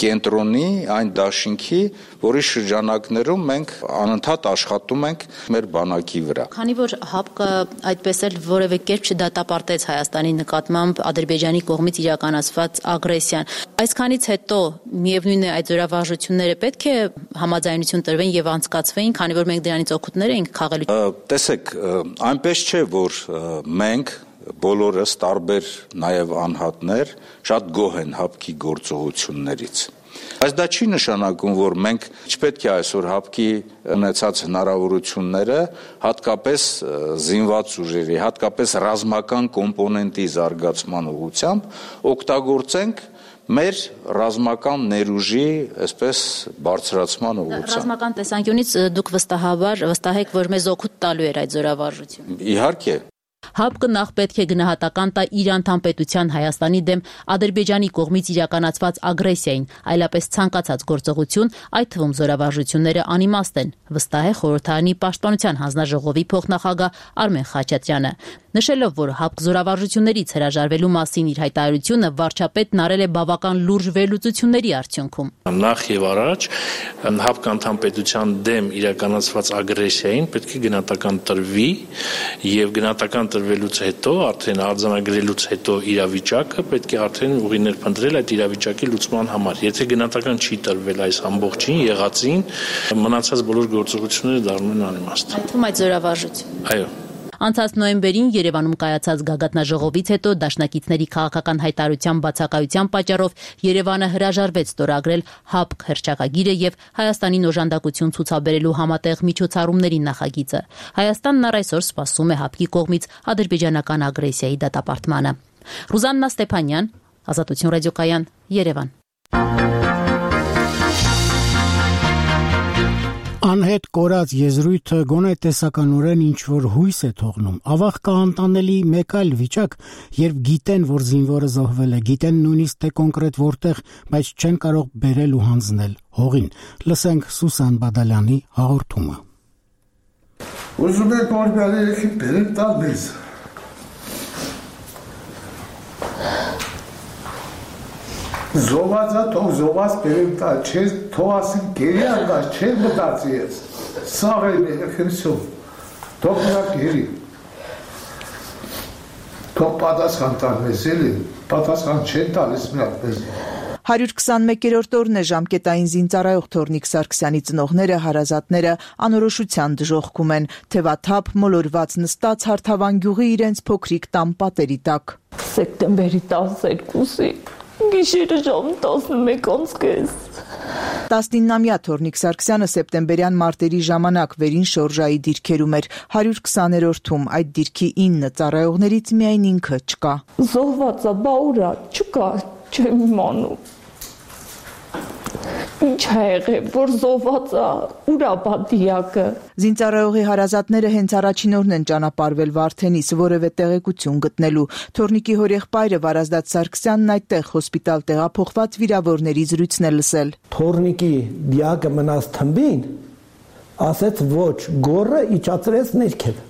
Speaker 21: կենտրոնի, այն դաշինքի, որի շրջանակներում մենք անընդհատ աշխատում ենք մեր բանակի վրա։
Speaker 19: Քանի որ ՀԱՊԿ-ը այդպես էլ որևէ կերպ չդատապարտեց Հայաստանի նկատմամբ Ադրբեջանի կողմից իրականացված ագրեսիան, այսքանից հետո միևնույն է այդ զորավարժությունները պետք է համաձայնություն տրվեն եւ անցկացվեին, քանի որ մենք դրանից օգուտներ ենք խաղալու։
Speaker 21: Տեսեք, այնպես չէ, որ մենք բոլորս տարբեր նաև անհատներ շատ գոհ են ՀԱՊԿ-ի գործողություններից։ Բայց դա չի նշանակում, որ մենք չպետք է այսօր ՀԱՊԿ-ի ունեցած հնարավորությունները հատկապես զինված ուժերի, հատկապես ռազմական կոմպոնենտի զարգացման ուղղությամբ օգտագործենք մեր ռազմական ներուժի այսպես բարձրացման ուղղությամբ։
Speaker 19: Ռազմական տեսանկյունից դուք վստահ եք, որ մեզ օգուտ տալու էր այդ զորավարժությունը։
Speaker 21: Իհարկե։
Speaker 19: ՀԱՊԿ-ը նախ պետք է գնահատական տա իր անդամպետության Հայաստանի դեմ Ադրբեջանի կողմից իրականացված ագրեսիային, այլապես ցանկացած գործողություն, այդ թվում զորավարժությունները անիմաստ են, վստահ է խորհրդարանի պաշտպանության հանձնաժողովի փոխնախագահ Արմեն Խաչատրյանը։ Նշելով, որ ՀԱՊԿ զորավարժություններից հրաժարվելու մասին իր հայտարարությունը վարչապետն արել է բավական լուրջ վերլուծությունների արդյունքում։
Speaker 22: Նախ եւ առաջ ՀԱՊԿ անդամպետության դեմ իրականացված ագրեսիային պետք է գնահատական տրվի եւ գնահատական տրվելուց հետո, արդեն արձանագրելուց հետո իրավիճակը պետք է արդեն ուղիներ փնտրել այդ իրավիճակի լուծման համար։ Եթե գնահատական չի տրվել այս ամբողջին, եղածին, մնացած բոլոր գործողությունները դառնում են անիմաստ։
Speaker 19: Այդ թվում այդ զորավարժություն։
Speaker 22: Այո։
Speaker 19: Անցած նոյեմբերին Երևանում կայացած գագաթնաժողովից հետո դաշնակիցների քաղաքական հայտարարության բացակայության պատճառով Երևանը հրաժարվեց ստորագրել ՀԱՊԿ հռչակագիրը եւ Հայաստանին օժանդակություն ցուցաբերելու համատեղ միջոցառումների նախագիծը։ Հայաստանն առ այսօր սպասում է ՀԱՊԿ-ի կողմից ադրբեջանական ագրեսիայի դատապարտմանը։ Ռուզաննա Ստեփանյան, Ազատություն ռադիոկայան, Երևան։
Speaker 1: Անհետ կորած եզրույթը գոնե տեսականորեն ինչ-որ հույս է թողնում։ Ավաղ կա անտանելի մեկ այլ վիճակ, երբ գիտեն, որ զինվորը զոհվել է, գիտեն նույնիսկ թե կոնկրետ որտեղ, բայց չեն կարող բերել ու հանձնել հողին։ Լսենք Սուսան Բադալյանի հաղորդումը։
Speaker 23: Ուզում եք որ գալերիքին բերեք տալ մեզ։ Զոհվածա թող զոհված բերեմ տա, չես թող ասին գերի անգաշ, չես մտածի ես, սաղ է մեր խմսում, թող նա գերի, թող պատասխան տալ մեզ էլի, պատասխան չեն տալիս մրատ մեզ։
Speaker 2: 121-րդ օրն է ժամկետային զինծառայող Թորնիկ Սարգսյանի ծնողները, հարազատները անորոշության դժոխքում են, թևաթափ մոլորված նստած Հարթավան գյուղի իրենց փոքրիկ տան պատերի տակ։
Speaker 5: Սեպտեմբերի 12-ի գիշերը ժամ 11:30
Speaker 2: 19-ամյա Թորնիկ Սարգսյանը սեպտեմբերյան մարտերի ժամանակ վերին շորժայի դիրքերում էր 120-րդում, այդ դիրքի 9 ծառայողներից միայն ինքը չկա։
Speaker 5: Զոհվածա, բա ուրա, չկա, չեմ իմանում։ Ինչ է եղել, որ զոհվածա, ուրա բա դիակը։
Speaker 2: Զինծառայողի հարազատները հենց առաջին օրն են ճանապարհվել Վարդենիս որևէ տեղեկություն գտնելու։ Թորնիկի հորեղբայրը Վարազդատ Սարգսյանն այդտեղ հոսպիտալ տեղափոխված վիրավորների զրույցն է լսել։
Speaker 6: Թորնիկի դիակը մնաց թմբին, ասեց ոչ, գորը իջացրեց ներքև։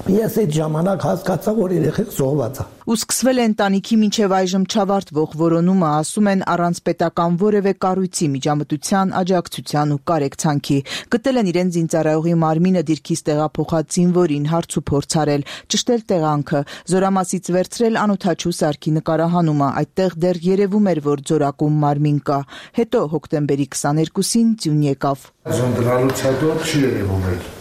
Speaker 6: Ես այդ ժամանակ հասկացա, որ երեխեք զոհված է։
Speaker 2: Ու սկսվել է ընտանիքի մինչև այժմ չավարտվող որոնումը, ասում են, առանց պետական որևէ կառույցի, միջամտության, աջակցության ու կարեկցանքի։ Գտել են իրեն զինծառայողի մարմինը դիրքից տեղափոխած զինվորին, հարց ու փորձ արել, ճշտել տեղանքը, Զորամասից վերցրել անօդաչու սարքի նկարահանումը, այդտեղ դեռ երևում էր, որ ձորակում մարմին կա։ Հետո հոկտեմբերի 22-ին ձյուն եկավ։
Speaker 23: Ձյուն դրանից հետո չի երևում էլ։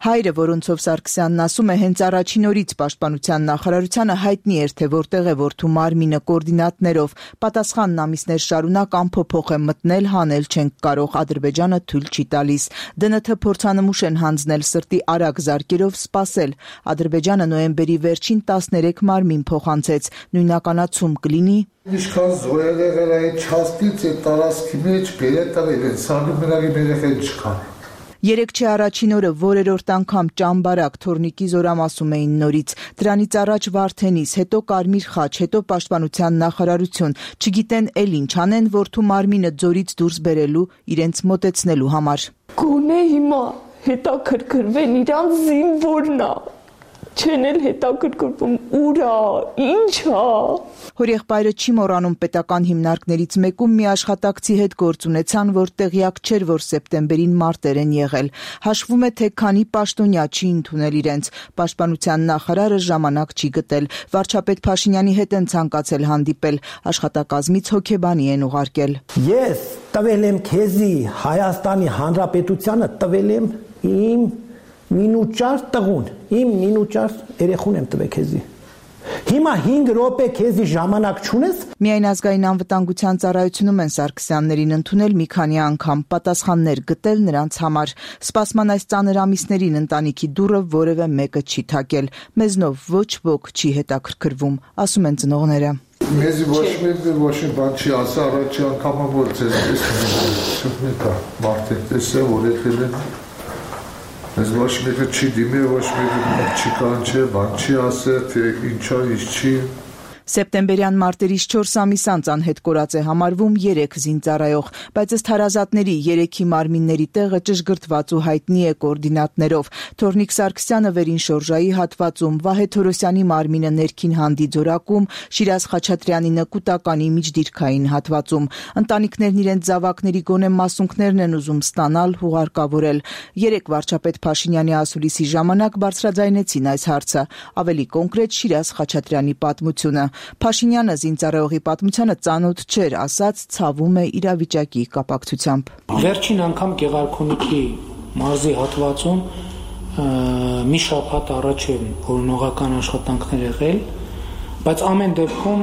Speaker 2: Հայրը, որոնցով Սարգսյանն ասում է, հենց առաջին օրից Պաշտպանության նախարարությանը հայտնի էր, թե որտեղ է որդու մարմինը կոորդինատներով, պատասխանն ամիսներ շարունակ անփոփոխ է մտնել, հանել չենք կարող, Ադրբեջանը թույլ չի տալիս։ ԴՆԹ փորձանմուշ են հանձնել սրտի արագ զարկերով սպասել։ Ադրբեջանը նոյեմբերի վերջին 13 մարմին փոխանցեց, նույնականացում կլինի։
Speaker 23: Ինչքան զոհել եղել այդ չաստից այդ տարածքի մեջ բերել տվել են, սարդումենագի երեխեն չկան։
Speaker 2: Երեկ չէ առաջին օրը որերորդ անգամ Ճամբարակ, Թորնիկի Զորամասում էին նորից, դրանից առաջ Վարդենիս, հետո Կարմիր խաչ, հետո Պաշտպանության նախարարություն, չգիտեն էլ ինչ անեն, որդու մարմինը ձորից դուրս բերելու, իրենց մոտեցնելու համար։
Speaker 5: Գոնե հիմա հետաքրքրվեն իրանց զինվորն է, չեն էլ հետաքրքրվում ուրա, ինչա։
Speaker 2: Հորեղբայրը չի մոռանում պետական հիմնարկներից մեկում մի աշխատակցի հետ գործ ունեցան, որ տեղյակ չէր, որ սեպտեմբերին մարտեր են եղել։ Հաշվում է, թե քանի պաշտոնյա չի ընդունել իրենց։ Պաշտպանության նախարարը ժամանակ չի գտել։ Վարչապետ Փաշինյանի հետ են ցանկացել հանդիպել, աշխատակազմից հոգեբանի են ուղարկել։
Speaker 6: Ես տվել եմ քեզի Հայաստանի Հանրապետությանը, տվել եմ իմ մինուճար տղուն, իմ մինուճար երեխուն եմ տվել քեզի։ Հիմա 5 րոպե քեզի ժամանակ չունես։
Speaker 2: Միայն ազգային անվտանգության ծառայությունում են Սարգսյաններին ընդունել մի քանի անգամ, պատասխաններ գտել նրանց համար։ Սպասման այս ծանր ամիսներին ընտանիքի դուռը որևէ մեկը չի թակել։ Մեզնով ոչ ոք չի հետաքրքրվում, ասում են ծնողները։
Speaker 23: Մեզի ոչ մի բան չի ասա, առաջի անգամը որ ձեզ տեսնի մարդիկ տեսե, որ եկել են։ Ես ոչ մեկը չի դիմի, ոչ մեկը չի կանչե, բան չի ասել, թե ինչա, ինչ չի։
Speaker 2: Սեպտեմբերյան մարտերից 4 ամիս անց անհետ կորած է համարվում 3 զինծառայող, բայց ըստ հարազատների 3-ի մարմինների տեղը ճշգրտված ու հայտնի է կոորդինատներով։ Թորնիկ Սարգսյանը վերին շորժայի հատվածում, Վահե Թորոսյանի մարմինը ներքին հանդի ձորակում, Շիրազ Խաչատրյանի նկուտականի միջդիրքային հատվածում։ Ընտանիքներն իրենց զավակների գոնե մասունքներն են ուզում ստանալ, հուղարկավորել։ Երեք վարչապետ Փաշինյանի ասուլիսի ժամանակ բարձրաձայնեցին այս հարցը, ավելի կոնկրետ Շիրազ Խաչատրյանի պատմությունը։ Փաշինյանը զինծառայողի պատմությանը ծանոթ չէր, ասաց ցավում է իրավիճակի կապակցությամբ։
Speaker 9: Վերջին անգամ Գեղարքունիքի մարզի հատվածում մի շաբաթ առաջ են օրինողական աշխատանքներ եղել, բայց ամեն դեպքում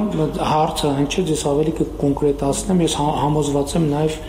Speaker 9: հարցը հնչեց, ես ավելի կկոնկրետացնեմ, ես համոզված եմ նաև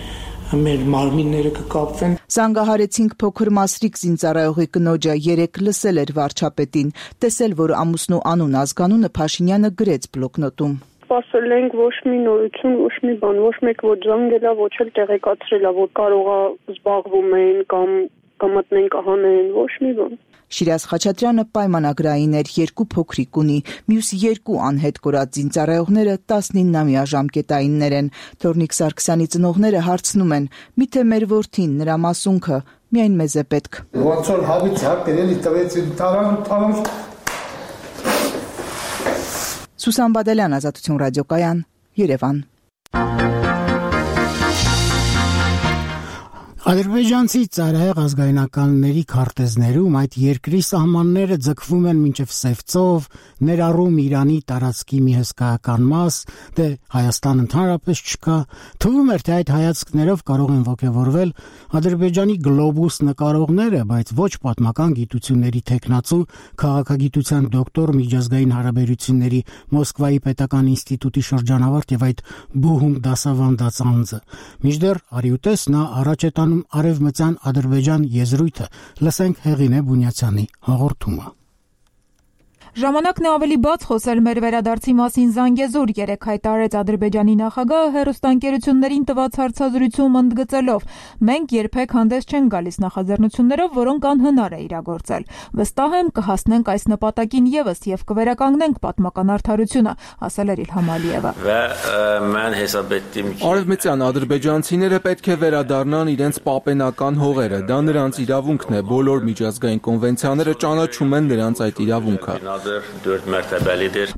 Speaker 9: մեր մարմինները կկապվեն։
Speaker 2: Զանգահարեցինք փոքր Մասրիկ զինծառայողի կնոջը, երեք լսել էր վարչապետին, տեսել, որ ամուսնու անուն ազգանունը Փաշինյանը գրեց բլոկնոտում։
Speaker 24: Սպասել ենք ոչ մի նորություն, ոչ մի բան, ոչ մեկ ոչ զանգել է, ոչ էլ տեղեկացրել է, որ կարող է զբաղվում են կամ կմտնեն կհանեն, ոչ մի բան։
Speaker 2: Շիրազ Խաչատրյանը պայմանագրային էր, 2 փոքրիկ ունի, մյուս 2 անհետ կորած զինծառայողները 19-ամյա ժամկետայիններ են։ Թորնիկ Սարգսյանի ծնողները հարցնում են. միթե մեր որդին, նրա մասունքը միայն մեզ է պետք։
Speaker 23: Ոնց որ հավից հարկերելի տվեցին տարան։
Speaker 2: Սուսան Բադալյան, Ազատություն ռադիոկայան, Երևան։
Speaker 1: Ադրբեջանցի ծայրահեղ ազգայնականների քարտեզներում այդ երկրի սահմանները ձգվում են մինչև Սևծով, ներառում Իրանի տարածքի մի հսկայական մաս, դե Հայաստան ընդհանրապես չկա, թվում էր, թե այդ հայացքներով կարող են ոգևորվել Ադրբեջանի գլոբուս նկարողները, բայց ոչ պատմական գիտությունների թեկնածու, քաղաքագիտության դոկտոր, միջազգային հարաբերությունների Մոսկվայի պետական ինստիտուտի շրջանավարտ եւ այդ բուհում դասավանդած անձը։ Մինչդեռ արիուտես նա առաջ է տանում Արևմտյան Ադրբեջան եզրույթը, լսենք Հեղինե Բունյացյանի հաղորդումը։
Speaker 4: Ժամանակն է ավելի բաց խոսել մեր վերադարձի մասին Զանգեզուր երեկ հայտարարեց Ադրբեջանի նախագահը հեռուստաընկերություններին տված հարցազրույցում ընդգծելով. մենք երբեք հանդես չենք գալիս նախաձեռնություններով, որոնք անհնար է իրագործել։ Վստահ եմ կհասնենք այս նպատակին եւս եւ կվերականգնենք պատմական արդարությունը, ասել էր Իլհամ Ալիևը։
Speaker 7: Արևմտյան ադրբեջանցիները պետք է վերադառնան իրենց պապենական հողերը, դա նրանց իրավունքն է, բոլոր միջազգային կոնվենցիաները ճանաչում են նրանց այդ իրավունքը։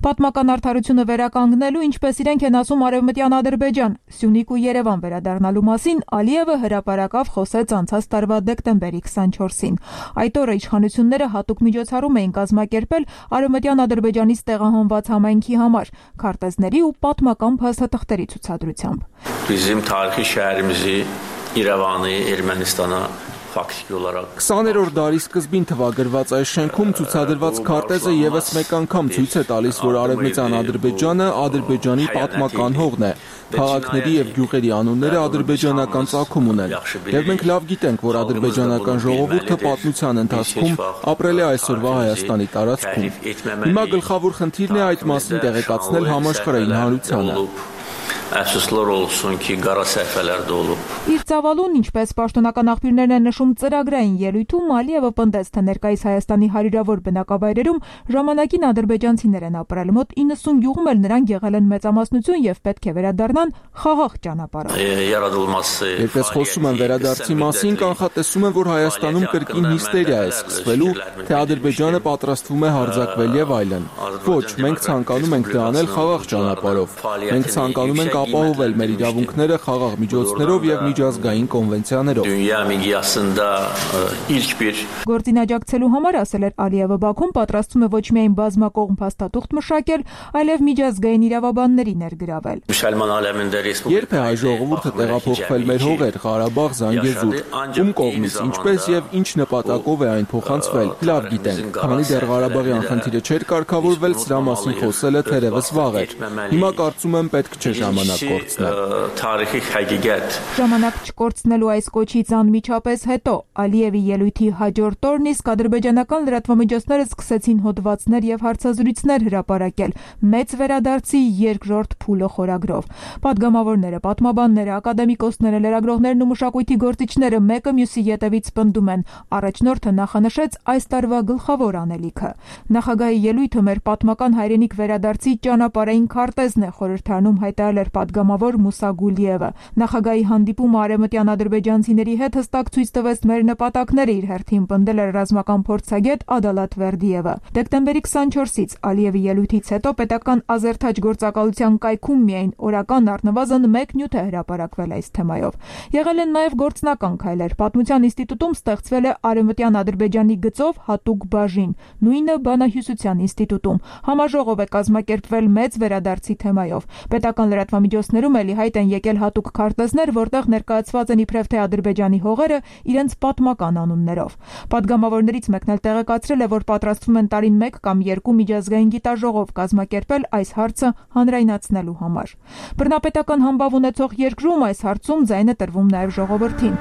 Speaker 4: Պատմական արդարությունը վերականգնելու, ինչպես իրենք են ասում Արևմտյան Ադրբեջան, Սյունիք ու Երևան վերադառնալու մասին Ալիևը հրապարակավ խոսեց անցած տարվա դեկտեմբերի 24-ին։ Այդ օրը իշխանությունները հատուկ միջոցառում էին կազմակերպել Արևմտյան Ադրբեջանից տեղահանված համայնքի համար, քարտեզների ու պատմական փաստաթղթերի ցուցադրությամբ։
Speaker 11: Bizim tarixi şəhərimizi İrəvanı, Ermənistana
Speaker 7: 20-րդ դարի սկզբին թվագրված այս շենքում ցուցադրված քարտեզը եւս մեկ անգամ ցույց է տալիս, որ Արևմտյան Ադրբեջանը Ադրբեջանի պատմական հողն է։ Քաղաքների եւ գյուղերի անունները ադրբեջանական ծագում ունեն։ Եվ մենք լավ գիտենք, որ ադրբեջանական ժողովուրդը պատմության ընթացքում ապրել է այսօրվա Հայաստանի տարածքում։ Հիմա գլխավոր խնդիրն է այդ մասին տեղեկացնել համաշխարհային հանրությանը։
Speaker 11: Əfsuslar olsun ki, qara səhvələr də olub։
Speaker 4: Իր ծավալուն, ինչպես պաշտոնական աղբյուրներն են նշում ծրագրային ելույթում, Ալիևը պնդեց, թե ներկայիս Հայաստանի հարյուրավոր բնակավայրերում ժամանակին ադրբեջանցիներ են ապրել, մոտ 90 գյուղում էլ նրանք եղել են մեծամասնություն եւ պետք է վերադառնան խաղաղ ճանապարհով։
Speaker 7: Երբ խոսում են վերադարձի մասին, կանխատեսում են, որ Հայաստանում կրկին հիստերիա է սկսվելու, թե Ադրբեջանը պատրաստվում է հարձակվել եւ այլն։ Ոչ, մենք ցանկանում ենք դա անել խաղաղ ճանապարհով։ Մենք ցանկանում ենք ապահովել մեր իրավունքները խաղաղ միջոցներով եւ միջազգային կոնվենցիաներով։
Speaker 4: Գործին համար ասել էր Ալիևը, Բաքուն պատրաստվում է ոչ միայն բազմակողմ փաստաթուղթ մշակել, այլև միջազգային իրավաբանների ներգրավել։
Speaker 7: Երբ է հայ ժողովուրդը տեղափոխվել մեր հողեր, Ղարաբաղ, Զանգեզուր, ում կողմից, ինչպես եւ ինչ նպատակով է այն փոխանցվել, լավ գիտենք։ Քանի դեռ Ղարաբաղյան խնդիրը չէր կարգավորվել, սրա մասին խոսելը թերևս վաղ էր։ Հիմա կարծում եմ պետք չէ ժամանակ կորցնել։
Speaker 4: Ժամանակ չկորցնելու այս կոչից անմիջապես հետո Ալիևի ելույթի հաջորդ օրն իսկ ադրբեջանական լրատվամիջոցները սկսեցին հոդվածներ եւ հարցազրույցներ հրապարակել մեծ վերադարձի երկրորդ փուլը խորագրով։ Պատգամավորները, պատմաբանները, ակադեմիկոսները, լրագրողներն ու մշակույթի գործիչները մեկը մյուսի ետևից պնդում են. առաջնորդը նախանշեց այս տարվա գլխավոր անելիքը։ Նախագահի ելույթը մեր պատմական հայրենիք վերադարձի ճանապարհային քարտեզն է, խորհրդանում հայտարարել էր պատգամավոր Մուսա Գուլիևը։ Նախագահի հանդիպումը արևմտյան ադրբեջանցիների հետ հստակ ցույց տվեց մեր նպատակները, իր հերթին պնդել էր ռազմական փորձագետ Ադալատ Վերդիևը։ Դեկտեմբերի 24-ից Ալիևի ելույթից հետո պետական ազերթաջ գործակալության կայքում միայն օրական առնվազն 1 նյութ է հրապարակվել այս թեմայով։ Եղել են նաև գործնական քայլեր։ Պատմության ինստիտուտում ստեղծվել է արևմտյան Ադրբեջանի գծով հատուկ բաժին, նույնը բանահյուսության ինստիտուտում։ Համաժողով է կազմակերպվել մեծ վերադարձի թեմայով։ Պետական լրատվամիջոցներում էլի հայտ են եկել հատուկ քարտեզներ, որտեղ ներկայացված են իբրև թե Ադրբեջանի հողերը իրենց պատմական անուններով։ Պատգամավորներից մեկն էլ տեղեկացրել է, որ պատրաստվում են տարին 1 կամ 2 միջազգային գիտաժողով կազմակերպել այս հարցը հանրայնացնելու համար։ Բռնապետական համբավ ունեցող երկրում այս հարցում ձայն է տրվում նաև ժողովրդին։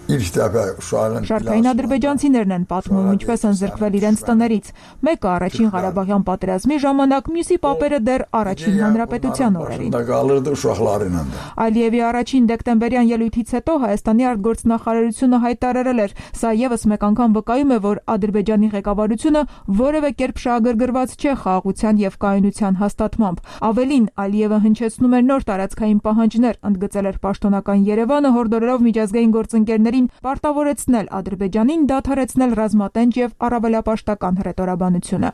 Speaker 4: Շարքային ադրբեջանցիներն են պատմում, ինչպես են զրկվել իրենց տներից։ Մեկը առաջին Ղարաբաղյան պատերազմի ժամանակ, մյուսի պապերը դեռ առաջին հանրապետության օրերին։ Ալիևի առաջին դեկտեմբերյան ելույթից հետո Հայաստանի արտգործնախարարությունը հայտարարել էր, սա եւս մեկ անգամ վկայում է, որ Ադրբեջանի ղեկավարությունը որևէ կերպ շահագրգռված չէ խաղաղության եւ կայունության հաստատմամբ։ Ավելին, Ալիևը հնչեցնում էր նոր տարածքային պահանջներ, ընդգծել էր պաշտոնական Երևանը, հորդորելով միջազգային գործընկերների տարիներին պարտավորեցնել Ադրբեջանին դադարեցնել ռազմատենչ եւ առավելապաշտական հռետորաբանությունը։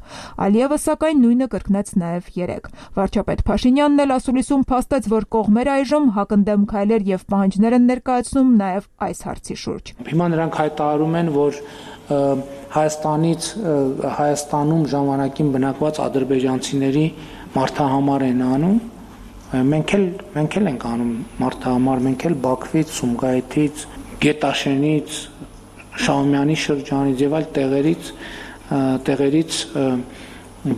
Speaker 4: Ալիևը սակայն նույնը կրկնեց նաեւ երեկ։ Վարչապետ Փաշինյանն էլ ասուլիսում փաստեց, որ կողմերը այժմ հակընդդեմ քայլեր եւ պահանջներ են ներկայացնում նաեւ այս հարցի շուրջ։
Speaker 9: Հիմա նրանք հայտարարում են, որ Հայաստանում ժամանակին բնակված ադրբեջանցիների մարդահամար են անում։ Մենք էլ ենք անում մարդահամար, մենք էլ Բաքվից, Սումգայիթից, Գետաշենից, Շահումյանի շրջանից եւ այլ տեղերից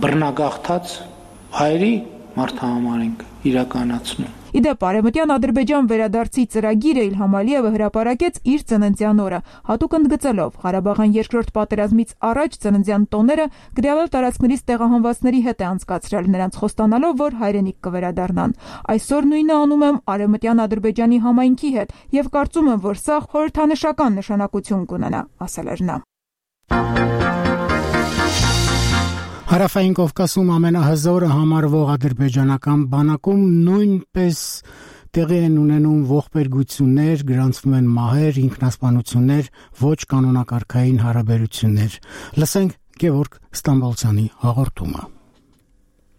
Speaker 9: բռնագաղթած հայերի մարդահամար ենք իրականացնում։
Speaker 4: Իդեպ Արևմտյան Ադրբեջան վերադարձի ծրագիրը Իլհամ Ալիևը հրապարակեց իր ծննդյան օրը, հատուկ ընդգծելով Ղարաբաղյան երկրորդ պատերազմից առաջ ծննդյան տոները գրավել տարածքներից տեղահանվածների հետ է անցկացրել, նրանց խոստանալով, որ հայրենիք կվերադառնան։ Այսօր նույնը անում եմ Արևմտյան Ադրբեջանի համայնքի հետ եւ կարծում եմ, որ սա խորհրդանշական նշանակություն կունենա, ասել էր նա։
Speaker 1: Հարավային Կովկասում ամենահզորը համարվող ադրբեջանական բանակում նույնպես տեղի են ունենում ողբերգություններ, գրանցվում են մահեր, ինքնասպանություններ, ոչ կանոնակարգային հարաբերություններ։ Լսենք Գևորգ Ստամբոլցյանի հաղորդումը։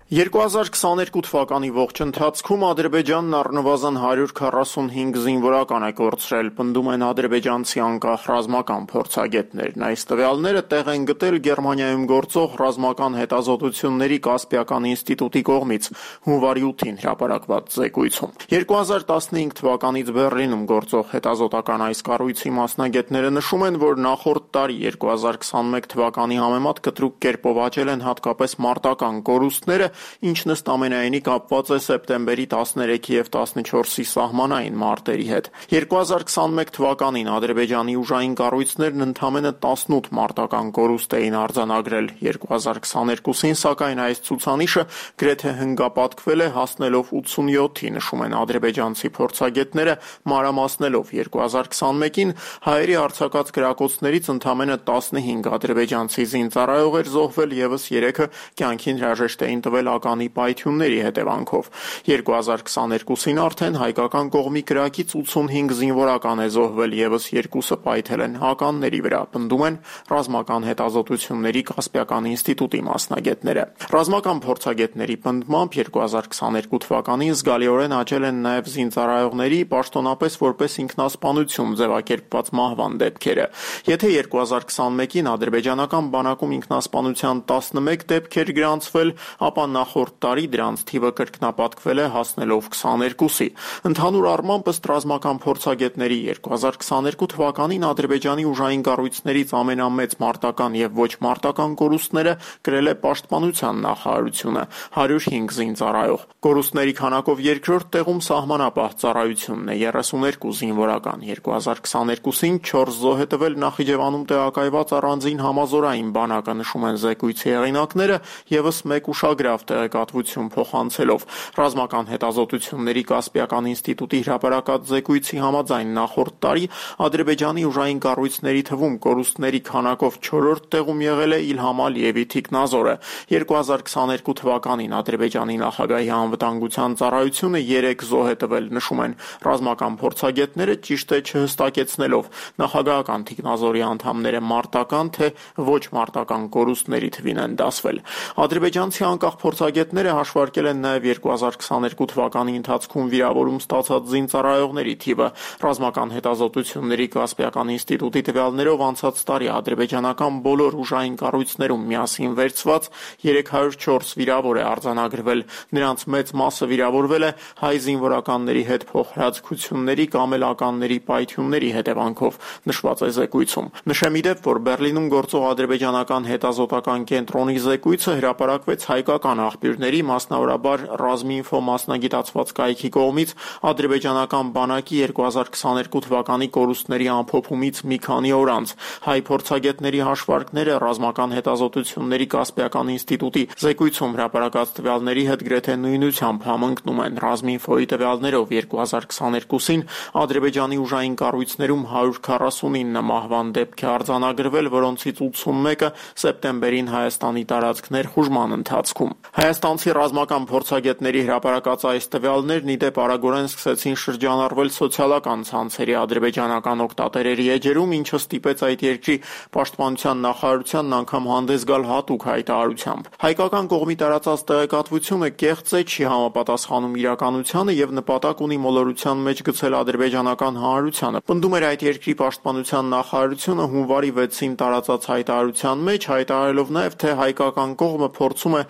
Speaker 12: 2022 թվականի ողջ ընթացքում Ադրբեջանն առնվազն 145 զինվորական է կորցրել, պնդում են ադրբեջանցի անկախ ռազմական փորձագետներն։ Այս տվյալները տեղ են գտել Գերմանիայում գործող ռազմական հետազոտությունների Կասպիական ինստիտուտի կողմից հունվարի 8-ին հրապարակված զեկույցում։ 2015 թվականից Բեռլինում գործող հետազոտական այս կառույցի մասնագետները նշում են, որ նախորդ տարի 2021 թվականի համեմատ կտրուկ կերպով աճել են հատկապես մարտական կորուստները, ինչն ըստ ամենայնի կապված է սեպտեմբերի 13-ի և 14-ի սահմանային մարտերի հետ։ 2021 թվականին Ադրբեջանի ուժային կառույցներն ընդամենը 18 մարտական կորուստ էին արձանագրել, 2022-ին սակայն այս ցուցանիշը գրեթե հնգապատկվել է, հասնելով 87-ի, նշում են ադրբեջանցի փորձագետները, մանրամասնելով 2021-ին հայերի արձակած կրակոցներից ընդամենը 15 ադրբեջանցի զինծառայող էր զոհվել, ևս 3-ը կյանքին հրաժեշտ էին տվել ականի պայթյունների հետևանքով։ 2022-ին արդեն հայկական կողմի կրակից 85 զինվորական է զոհվել, ևս 2-ը պայթել են ականների վրա, պնդում են ռազմական հետազոտությունների Կասպիական ինստիտուտի մասնագետները։ Ռազմական փորձագետների պնդմամբ 2022 թվականին զգալիորեն աճել են նաև զինծառայողների պաշտոնապես որպես ինքնասպանություն ձևակերպված մահվան դեպքերը։ Եթե 2021-ին ադրբեջանական բանակում ինքնասպանության 11 դեպք էր գրանցվել, ապա նախորդ տարի դրանց թիվը կրկնապատկվել է, հասնելով 22-ի։ Ընդհանուր առմամբ ըստ ռազմական փորձագետների 2022 թվականին Ադրբեջանի ուժային կառույցներից ամենամեծ մարտական եւ ոչ մարտական կորուստները կրել է Պաշտպանության նախարարությունը՝ 105 զինծառայող։ Կորուստների քանակով երկրորդ տեղում Սահմանապահ ծառայությունն է՝ 32 զինվորական։ 2022-ին 4 զոհ է տվել Նախիջևանում տեղակայված առանձին համազորային բանակը, նշում են զեկույցի հեղինակները, ևս 1 ուշագրավ տեղեկատվություն փոխանցելով։ Ռազմական հետազոտությունների Կասպիական ինստիտուտի հրապարակած զեկույցի համաձայն նախորդ տարի Ադրբեջանի ուժային կառույցների թվում կորուստների քանակով 4-րդ տեղում եղել է Իլհամ Ալիևի թիկնազորը։ 2022 թվականին Ադրբեջանի նախագահի անվտանգության ծառայությունը 3 զոհ է տվել, նշում են ռազմական փորձագետները, ճիշտ է չհստակեցնելով նախագահական թիկնազորի անդամները մարտական թե ոչ մարտական կորուստների թվին են դասվել։ Ադրբեջանցի անկախ փորձագետները հաշվարկել են նաև 2022 թվականի ընթացքում վիրավորում ստացած զինծառայողների թիվը։ Ռազմական հետազոտությունների Կասպիական ինստիտուտի տվյալներով անցած տարի ադրբեջանական բոլոր ուժային կառույցներում միասին վերցված 304 վիրավոր է արձանագրվել։ Նրանց մեծ մասը վիրավորվել է հայ զինվորականների հետ փոխհրաձգությունների կամ էլ ականների պայթյունների հետևանքով, նշված է զեկույցում։ Նշեմ իդեպ, որ Բեռլինում գործող ադրբեջանական հետազոտական կենտրոնի զեկույցը հրապարակվեց հայկական աղբյուրների, մասնավորաբար Ռազմինֆո մասնագիտացված կայքի կողմից ադրբեջանական բանակի 2022 թվականի կորուստների ամփոփումից մի քանի օր անց։ Հայ փորձագետների հաշվարկները ռազմական հետազոտությունների Կասպիական ինստիտուտի զեկույցում հրապարակած տվյալների հետ գրեթե նույնությամբ համընկնում են։ Ռազմինֆոյի տվյալներով 2022-ին Ադրբեջանի ուժային կառույցներում 149 մահվան դեպք է արձանագրվել, որոնցից 81-ը սեպտեմբերին Հայաստանի տարածքներ խուժման ընթացքում։ Հայաստանցի ռազմական փորձագետների հրապարակած այս տվյալներն ի դեպ արագորեն սկսեցին շրջանառվել սոցիալական ցանցերի ադրբեջանական օգտատերերի էջերում, ինչը ստիպեց այդ երկրի պաշտպանության նախարարությանն անգամ հանդես գալ հատուկ հայտարարությամբ։ Հայկական կողմի տարածած տեղեկատվությունը կեղծ է, չի համապատասխանում իրականությանը եւ նպատակ ունի մոլորության մեջ գցել ադրբեջանական հանրությանը։ Պնդում էր այդ երկրի պաշտպանության նախարարությունը հունվարի 6-ին տարածած հայտարարության մեջ, հայտարարելով նաեւ, թե հայկական կողմը փորձում է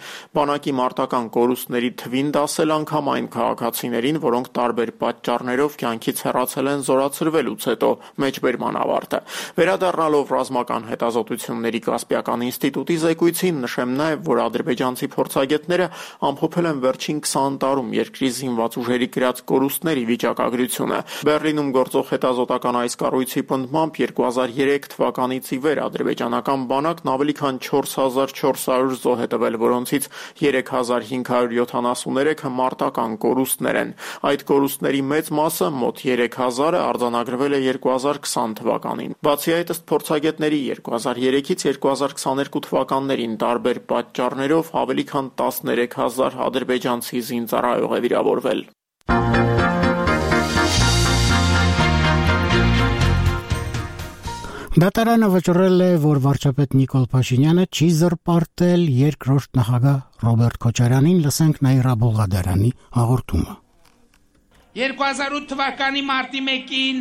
Speaker 12: բանակի մարտական կորուստների թվին դասել անգամ այն քաղաքացիներին, որոնք տարբեր պատճառներով կյանքից հեռացել են զորացրվելուց հետո։ Մեջբերման ավարտը։ Վերադառնալով ռազմական հետազոտությունների Կասպիական ինստիտուտի զեկույցին, նշեմ նաև, որ ադրբեջանցի փորձագետները ամփոփել են վերջին 20 տարում երկրի զինված ուժերի կրած կորուստների վիճակագրությունը։ Բեռլինում գործող հետազոտական այս կառույցի պնդմամբ 2003 թվականից ի վեր ադրբեջանական բանակն ավելի քան 4400 զոհ է տվել, որոնցից 3573-ը մարտական կորուստներ են։ Այդ կորուստների մեծ մասը, մոտ 3000-ը, արձանագրվել է 2020 թվականին։ Բացի այդ, ըստ փորձագետների 2003-ից 2022 թվականներին տարբեր պատճառներով ավելի քան 13000 ադրբեջանցի զինծառայող է վիրավորվել։
Speaker 1: Դատարանը վճռել է, որ վարչապետ Նիկոլ Փաշինյանը չի զրպարտել երկրորդ նախագահ Ռոբերտ Քոչարյանին, լսենք Նաիրա Բողադարյանի հաղորդումը։
Speaker 8: 2008 թվականի մարտի 1-ին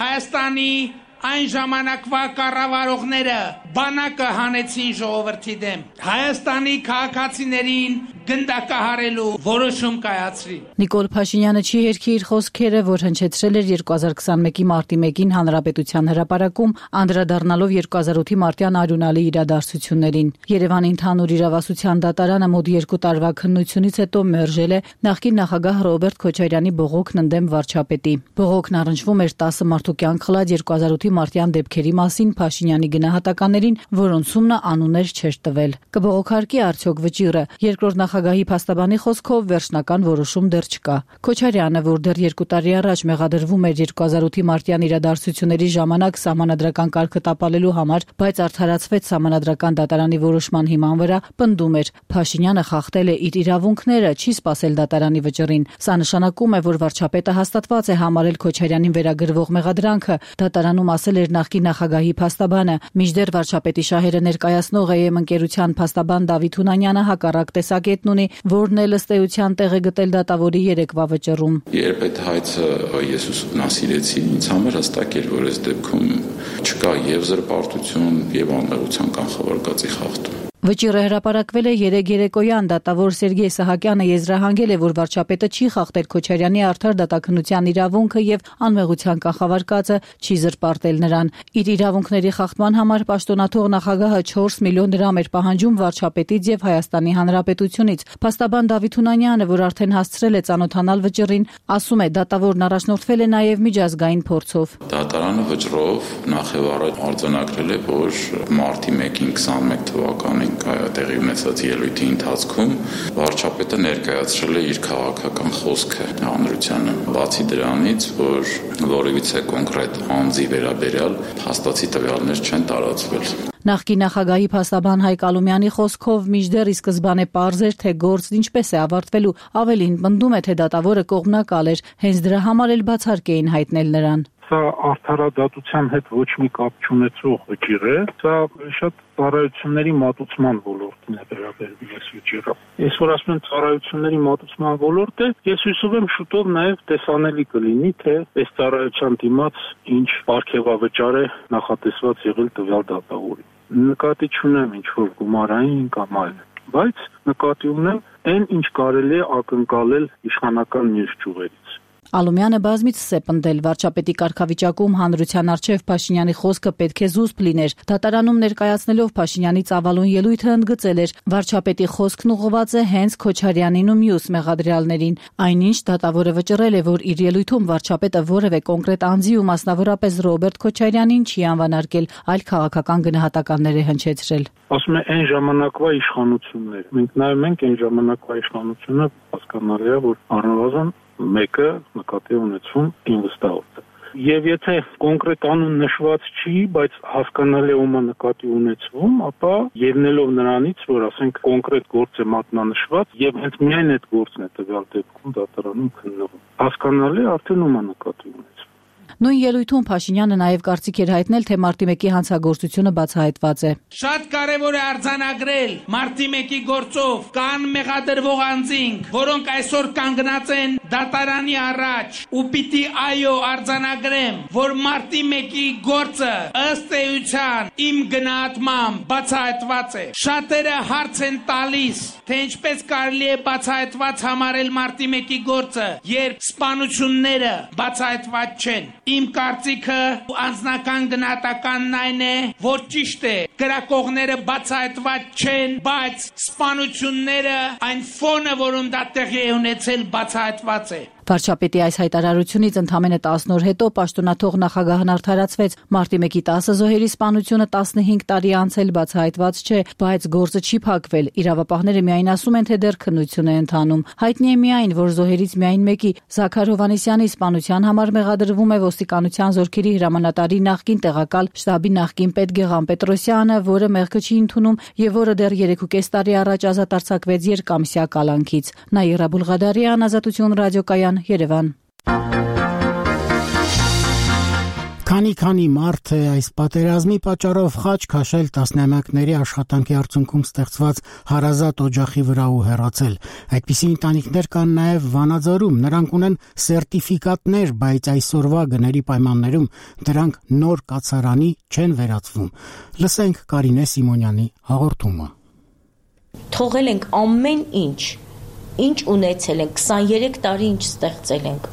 Speaker 8: Հայաստանի այն ժամանակվա կառավարողները բանակը հանեցին ժողովրդի դեմ։ Հայաստանի քաղաքացիներին գնդակահարելու որոշում կայացրին։
Speaker 3: Նիկոլ Փաշինյանը չի հերքի իր խոսքերը, որ հնչեցրել էր 2021-ի մարտի 1-ին Հանրապետության հրապարակում, անդրադառնալով 2008-ի մարտյան արյունալի իրադարձություններին։ Երևանի ընդհանուր իրավասության դատարանը մոտ 2 տարվա քննությունից հետո մերժել է նախկին նախագահ Ռոբերտ Քոչարյանի բողոքն ընդդեմ վարչապետի։ Բողոքն առնչվում էր 10 մարդու կյանք խլած 2008-ի մարտյան դեպքերի մասին Փաշինյանի գնահատականներին, որոնցում նա անուններ չէր տվել։ Կբողոքարկի արդյոք վճիռը։ Երկրորդ նախագահի փաստաբանի խոսքով վերջնական որոշում դեռ չկա։ Քոչարյանը, որ դեռ 2 տարի առաջ մեղադրվում էր 2008-ի մարտյան իրադարձությունների ժամանակ սահմանադրական կարգը տապալելու համար, բայց արդարացվեց սահմանադրական դատարանի որոշման հիման վրա, պնդում էր Փաշինյանը խախտել է իր իրավունքները, չի սպասել դատարանի վճռին։ Սա նշանակում է, որ վարչապետը հաստատված է համարել Քոչարյանին վերագրվող մեղադրանքը, դատարանում ասել էր նախկին նախագահի փաստաբանը։ Մինչդեռ վարչապետի շահերը ներկայացնող ԵՄ ընկերության փաստաբան Դավիթ Հունանյանը հակառակ տեսակետն ունի, որն էլ ըստ էության տեղ է գտել դատավորի երեկվա վճռում։
Speaker 13: Երբ այդ հայցը ես ուսումնասիրեցի, ինձ համար հստակ էր, որ այս դեպքում չկա եւ զրպարտություն, եւ անմեղության կանխավարկածի խախտում։
Speaker 3: Վճիռը հրապարակվել է երեկոյան, դատավոր Սերգեյ Սահակյանը եզրահանգել է, որ վարչապետը չի խախտել Քոչարյանի արդար դատաքննության իրավունքը եւ անմեղության կանխավարկածը, չի զրպարտել նրան։ Իր իրավունքների խախտման համար պաշտոնաթող նախագահը 4 միլիոն դրամ էր պահանջում վարչապետից եւ Հայաստանի Հանրապետությունից։ Փաստաբան Դավիթ Հունանյանը, որ արդեն հասցրել է ծանոթանալ վճռին, ասում է, դատավորն առաջնորդվել է նաեւ միջազգային փորձով։
Speaker 13: Դատարանը վճռով նախ եւ առաջ արձանագրել է, որ մարտի 1-ին 21 թվականին տեղի ունեցած ելույթի ընթացքում վարչապետը ներկայացրել է իր քաղաքական խոսքը հանրությանը։ Բացի դրանից, որ որևիցե կոնկրետ անձի վերաբերյալ փաստացի տվյալներ չեն տարածվել։
Speaker 3: Նախկին նախագահի փաստաբան Հայկ Ալումյանի խոսքով մինչդեռ ի սկզբանե պարզ էր, թե գործն ինչպես է ավարտվելու, ավելին պնդում է, թե դատավորը կողմնակալ էր, հենց դրա համար էլ բացառք էին հայտնել նրան։
Speaker 14: Սա արդարադատության հետ ոչ մի կապ չունեցող վճիռ է, սա շատ ծառայությունների մատուցման ոլորտին է վերաբերվում այս վճիռը։ Ես որ ասում եմ ծառայությունների մատուցման ոլորտ է, ես հույսով եմ շուտով նաև տեսանելի կլինի, թե այս ծառայության դիմաց ինչ պարգևավճար է նախատեսված եղել տվյալ դատավորի։ Նկատի չունեմ ինչ-որ գումարային կամ այլ, բայց նկատի ունեմ այն, ինչ կարելի է ակնկալել իշխանական մյուս ճյուղերից։
Speaker 3: Ալումյանը բազմիցս է պնդել վարչապետի կարգավիճակում հանրության առջև Փաշինյանի խոսքը պետք է զուսպ լիներ։ Դատարանում ներկայացնելով Փաշինյանի ծավալուն ելույթը ընդգծել էր վարչապետի խոսքն ուղղված է հենց Քոչարյանին ու մյուս մեղադրյալներին։ Այնինչ դատավորը վճռել է, որ իր ելույթում վարչապետը որևէ կոնկրետ անձի ու մասնավորապես Ռոբերտ Քոչարյանին չի անվանարկել, այլ քաղաքական գնահատականներ է հնչեցրել։
Speaker 14: Ասում է այն ժամանակվա իշխանություններ։ Մենք նայում ենք այն ժամանակվա իշխանությունը, հասկանալի է, որ առնվազն մեկը նկատի ունեցում ինվեստորը։ Եվ եթե կոնկրետ անուն նշված չի, բայց հասկանալի ոմա նկատի ունեցվում, ապա ելնելով նրանից, որ ասենք կոնկրետ գործ է մատնանշված եւ հենց միայն այդ գործն է տվյալ դեպքում դատարանում քննվում։ Հասկանալի արդեն ոմա նկատի ունեցվում։
Speaker 3: Նույն ելույթում Փաշինյանը նաև կարծիք էր հայտնել, թե Մարտի 1-ի հանցագործությունը բացահայտված է։
Speaker 8: Շատ կարևոր է արձանագրել Մարտի 1-ի գործով կան մեղադրվող անձինք, որոնք այսօր կանգնած են դատարանի առաջ, ու պիտի այո արձանագրեմ, որ Մարտի 1-ի գործը ըստ էության իմ գնահատմամբ բացահայտված է։ Շատերը հարց են տալիս, թե ինչպես կարելի է բացահայտված համարել Մարտի 1-ի գործը, երբ սպանությունները բացահայտված չեն։ Իմ կարծիքը անձնական գնահատականն այն է, որ ճիշտ է, կրակողները բացահայտված չեն, բայց սպանությունները, այն ֆոնը, որում դա տեղի է ունեցել, բացահայտված է։
Speaker 3: Վարչապետի այս հայտարարությունից ընդամենը 10 օր հետո պաշտոնաթող նախագահն արդարացվեց։ Մարտի 1-ի 10 զոհերի սպանությունը 15 տարի անցել բացահայտված չէ, բայց գործը չի փակվել։ Իրավապահները միայն ասում են, թե դեռ քննություն է ընթանում։ Հայտնի է միայն, որ զոհերից միայն մեկի՝ Զաքար Հովհաննիսյանի սպանության համար մեղադրվում է ոստիկանության զորքերի հրամանատարի նախկին տեղակալ շտաբի նախկին պետ Գեղամ Պետրոսյանը, որը մեղքը չի ընդունում եւ որը դեռ 3.5 տարի առաջ ազատ արձակվեց երկամսյա կալանքից։ Նաիրա Բուլղադարյան, Ազատություն ռադիոկայան, Երևան։
Speaker 1: Քանի մարդ է այս պատերազմի պատճառով խաչ քաշել տասնամյակների աշխատանքի արդյունքում ստեղծված հարազատ օջախի վրա ու հեռացել։ Այդպիսի ընտանիքներ կան նաև Վանաձորում, նրանք ունեն սերտիֆիկատներ, բայց այսօրվա գների պայմաններում դրանք նոր կացարանի չեն վերածվում։ Լսենք Կարինե Սիմոնյանի հաղորդումը։
Speaker 15: Թողել ենք ամեն ինչ ունեցել ենք, 23 տարի ինչ ստեղծել ենք։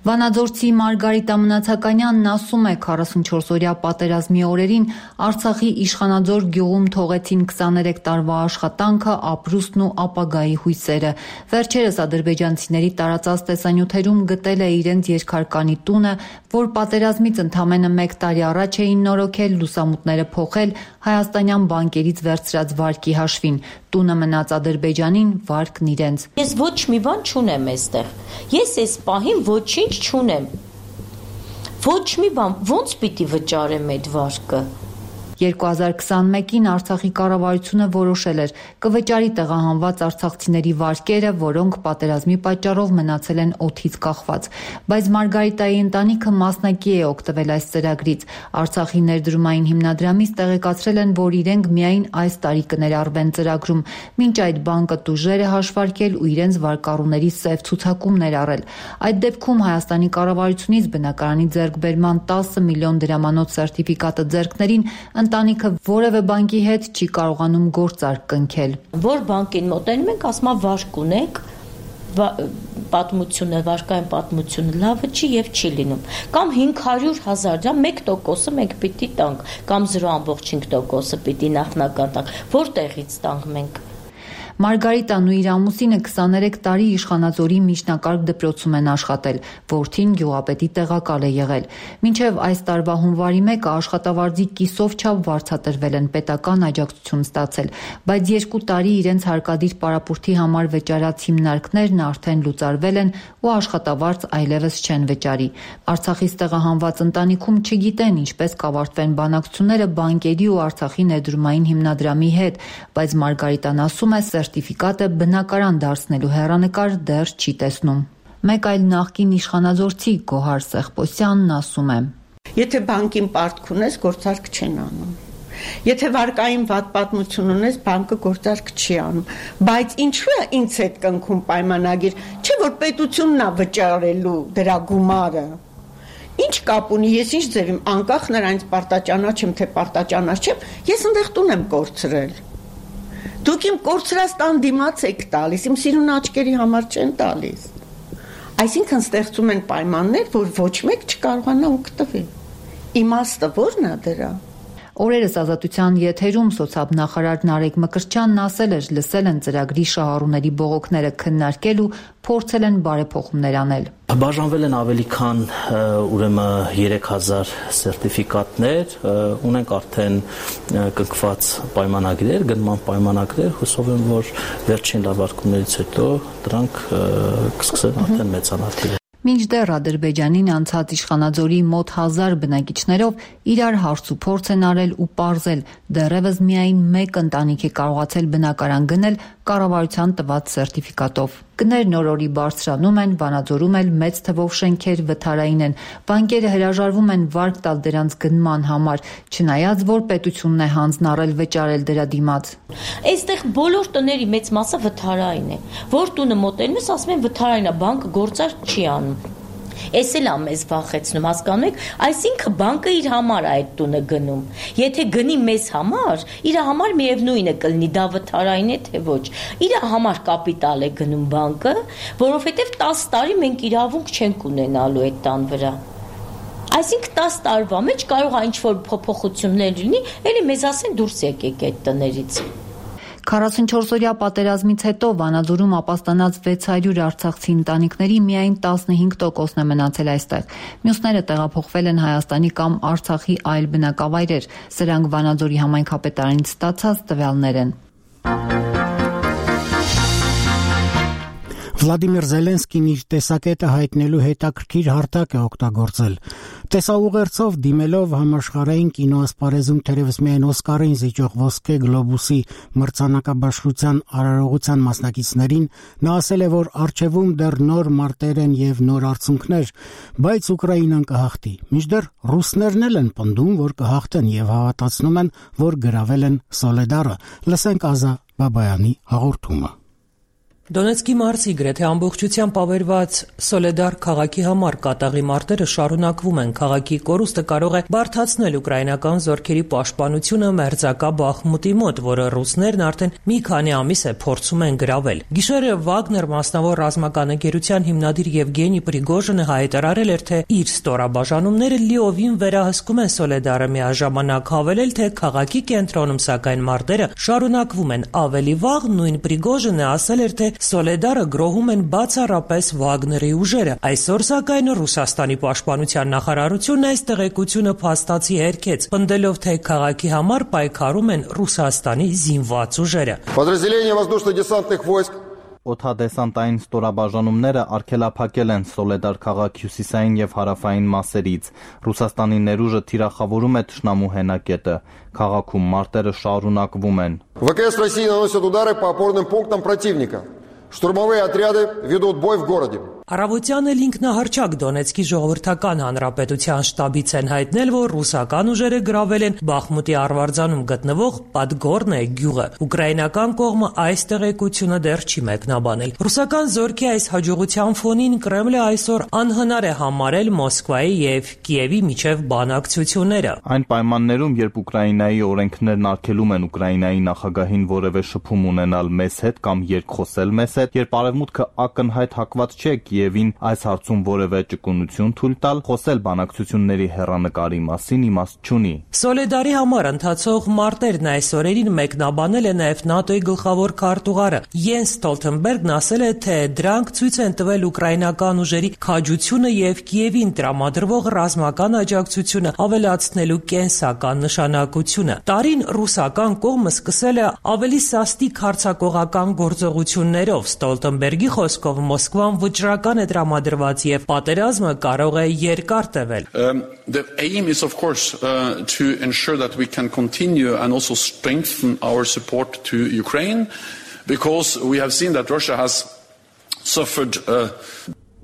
Speaker 16: Վանաձորցի Մարգարիտա Մնացականյանն ասում է, 44-օրյա պատերազմի օրերին Արցախի Իշխանաձոր գյուղում թողեցին 23 տարվա աշխատանքը, ապրուստն ու ապագայի հույսերը։ Վերջերս ադրբեջանցիների տարածած տեսանյութերում գտել է իրենց երկհարկանի տունը, որ պատերազմից ընդամենը 1 տարի առաջ էին նորոգել, լուսամուտները փոխել, հայաստանյան բանկերից վերցրած վարկի հաշվին։ Տունը մնաց Ադրբեջանին, վարկն իրենց։
Speaker 15: Ես ոչ մի բան չունեմ այստեղ։ Ես այս պահին ոչինչ չունեմ։ Ոչ մի բան, ոնց պիտի վճարեմ այդ վարկը։
Speaker 16: 2021-ին Արցախի կառավարությունը որոշել էր կվճարի տեղահանված արցախցիների վարկերը, որոնք պատերազմի պատճառով մնացել են օդից կախված։ Բայց Մարգարիտայի ընտանիքը մասնակի է օգտվել այս ծրագրից։ Արցախի ներդրումային հիմնադրամից տեղեկացրել են, որ իրենք միայն այս տարի կներառվեն ծրագրում։ Մինչ այդ բանկը տուժեր է հաշվարկել ու իրենց վարկառուների սև ցուցակում ներառել։ Այդ դեպքում Հայաստանի կառավարությունից բնակարանի ձեռքբերման 10 միլիոն դրամանոց սերտիֆիկատը ձեռքներին ընտանիքը որևէ բանկի հետ չի կարողանում գործարք կնքել։
Speaker 15: Որ բանկին մոտենում ենք, ասում է վարկ ունեք, պատմությունը, վարկային պատմությունը լավը չի եւ չի լինում։ Կամ 500,000 դրամ 1%-ը մենք պիտի տանք, կամ 0.5%-ը պիտի նախնական տանք։ Որտեղից տանք մենք։
Speaker 16: Մարգարիտան ու իր ամուսինը 23 տարի Իշխանաձորի միջնակարգ դպրոցում են աշխատել, որդին գյուղապետի տեղակալ է եղել։ Մինչև այս տարվա հունվարի 1-ը աշխատավարձի կիսով չափ վարձատրվել են, պետական աջակցություն ստացել, բայց 2 տարի իրենց հարկադիր պարապուրդի համար վճարած հիմնարկներն արդեն լուծարվել են ու աշխատավարձ այլևս չեն վճարի։ Արցախից տեղահանված ընտանիքում չգիտեն ինչպես կավարտվեն բանակցությունները բանկերի ու Արցախի ներդրումային հիմնադրամի հետ, բայց Մարգարիտան ասում է, սերտիֆիկատը բնակարան դարձնելու հեռանկար դեռ չի տեսնում։ Մեկ այլ նախկին իշխանաձորցի Գոհար Սեղպոսյանն ասում է.
Speaker 17: Եթե բանկին պարտք ունես, գործարք չեն անում։ Եթե վարկային վատ պատմություն ունես, բանկը գործարք չի անում։ Բայց ինչու է ինձ հետ կնքում պայմանագիր, չէ՞ որ պետությունն է վճարելու դրա գումարը։ Ինչ կապ ունի, ես ինչ ձևիմ, անկախ նրանից պարտաճանաչ եմ, թե պարտաճանաչ չեմ, ես այնտեղ տուն եմ կորցրել։ Դուք իմ կորցրած տան դիմաց եք տալիս, իմ սիրուն աչքերի համար չեն տալիս։ Այսինքն ստեղծում են պայմաններ, որ ոչ մեկ չկարողանա օգտվել։ Իմաստը ո՞րն է դրա։
Speaker 16: Օրերս Ազատության եթերում սոցիալ-նախարար Նարեկ Մկրտչյանն ասել էր, լսել են ծրագրի շահառուների բողոքները քննարկել ու փորձել են բարեփոխումներ անել։
Speaker 18: Բաժանվել են ավելի քան ուրեմն 3000 սերտիֆիկատներ, ունենք արդեն կնքված պայմանագրեր, գնման պայմանագրեր, հուսով եմ, որ վերջին լավարկումներից հետո դրանք կսկսեն արդեն մեծանալ։
Speaker 16: Մինչդեռ Ադրբեջանին անցած իշխանաձորի մոտ 1000 բնակիչներով իրար հարց ու փորձ են արել ու պարզել, դեռևս միայն մեկ ընտանիք է կարողացել բնակարան գնել կառավարության տված սերտիֆիկատով։ Գներն օրորի բարձրանում են, Վանաձորում էլ մեծ թվով շենքեր վթարային են, բանկերը հրաժարվում են վարկ տալ դրանց գնման համար, չնայած որ պետությունն է հանձնառել վճարել դրա դիմաց։
Speaker 15: Այստեղ բոլոր տների մեծ մասը վթարային է, որ տունը մոտենում ես, ասում են վթարային է, բանկը գործարք չի անում։ Էս էլ մեզ վախեցնում, հասկանում եք, այսինքն բանկը իր համար է այդ տունը գնում։ Եթե գնի մեզ համար, իր համար միևնույն է կլինի, դա վթարային է թե ոչ։ Իր համար կապիտալ է գնում բանկը, որովհետև 10 տարի մենք իրավունք չենք ունենալու այդ տան վրա։ Այսինքն 10 տարվա մեջ կարող է ինչ-որ փոփոխություններ լինի, էլի մեզ ասեն դուրս եկեք այդ տներից։
Speaker 16: 44-օրյա պատերազմից հետո Վանաձորում ապաստանած 600 արցախցի ընտանիքների միայն 15%-ն է մնացել այստեղ։ Մյուսները տեղափոխվել են Հայաստանի կամ Արցախի այլ բնակավայրեր։ Սրանք Վանաձորի համայնքապետարանից ստացած տվյալներ են։
Speaker 1: Վլադիմիր Զելենսկին իր տեսակետը հայտնելու հետաքրքիր հարթակ է օգտագործել։ Տեսաուղերձով դիմելով համաշխարհային կինոասպարեզում թերևս միայն Օսկարին զիջող ոսկե գլոբուսի մրցանակաբաշխության արարողության մասնակիցներին, նա ասել է, որ առջևում դեռ նոր մարտեր են եւ նոր արցունքներ, բայց Ուկրաինան կհաղթի։ Մինչդեռ ռուսներն էլ են պնդում, որ կհաղթեն եւ հավատացնում են, որ գրավել են Սոլեդարը։ Լսենք Ազա Բաբայանի հաղորդումը։
Speaker 10: Դոնեցկի մարզի գրեթե ամբողջությամբ ավերված Սոլեդար քաղաքի համար կատաղի մարտերը շարունակվում են։ Քաղաքի կորուստը կարող է բարդացնել ուկրաինական զորքերի պաշտպանությունը մերձակա Բախմուտի մոտ, որը ռուսներն արդեն մի քանի ամիս է փորձում են գրավել։ Գիշերը Վագներ մասնավոր ռազմական ընկերության հիմնադիր Եվգենի Պրիգոժինը հայտարարել էր, թե իր ստորաբաժանումները լիովին վերահսկում են Սոլեդարը, միաժամանակ հավելել, թե քաղաքի կենտրոնում սակայն մարտերը շարունակվում են։ Ավելի վաղ նույն Պրիգոժինը ասել էր, թե Սոլեդարը գրոհում են բացառապես Վագների ուժերը։ Այսօր սակայն Ռուսաստանի պաշտպանության նախարարությունն այս տեղեկությունը փաստացի հերքեց, պնդելով, թե քաղաքի համար պայքարում են Ռուսաստանի զինված ուժերը։
Speaker 20: Подразделения воздушно-десантных войск
Speaker 21: Օդադեսանտային ստորաբաժանումները արգելափակել են Սոլեդար քաղաքի հյուսիսային եւ հարավային մասերից։ Ռուսաստանի ներուժը թիրախավորում է թշնամու հենակետը։ Քաղաքում մարտերը շարունակվում են։
Speaker 20: ВКС России наносят удары по опорным пунктам противника. Штурмовые отряды ведут бой в городе.
Speaker 10: Առավոտյան էլ ինքնահռչակ Դոնեցկի ժողովրդական հանրապետության շտաբից են հայտնել, որ ռուսական ուժերը գրավել են Բախմուտի արվարձանում գտնվող Պատգորնե գյուղը։ Ուկրաինական կողմը այս տեղեկությունը դեռ չի մեկնաբանել։ Ռուսական զորքի այս հաջողության ֆոնին Կրեմլը այսօր անհնար է համարել Մոսկվայի եւ Կիևի միջև բանակցությունները։
Speaker 21: Այն պայմաններում, երբ Ուկրաինայի օրենքներն արգելում են Ուկրաինայի նախագահին որևէ շփում ունենալ մեզ հետ կամ երկխոսել մեզ հետ, երբ արևմուտքը ակնհայտ հակված չէ Կիևին այս հարցում որևէ ճկունություն թույլ տալ, խոսել բանակցությունների հեռանկարի մասին իմաստ չունի։
Speaker 10: Սոլեդարի համար ընթացող մարտերն այս օրերին մեկնաբանել է նաև ՆԱՏՕ-ի գլխավոր քարտուղարը Յենս Ստոլտենբերգն ասել է, թե դրանք ցույց են տվել ուկրաինական ուժերի քաջությունը եւ Կիևին տրամադրվող ռազմական աջակցությունը ավելացնելու կենսական նշանակությունը։ Տարին ռուսական կողմը սկսել է ավելի սաստիկ հարձակողական գործողություններով։ Ստոլտենբերգի խոսքով Մոսկվան վճռական է տրամադրված եւ պատերազմը կարող է երկար տևել։
Speaker 13: The aim is of course to ensure that we can continue and also strengthen our support to Ukraine because we have seen that Russia has suffered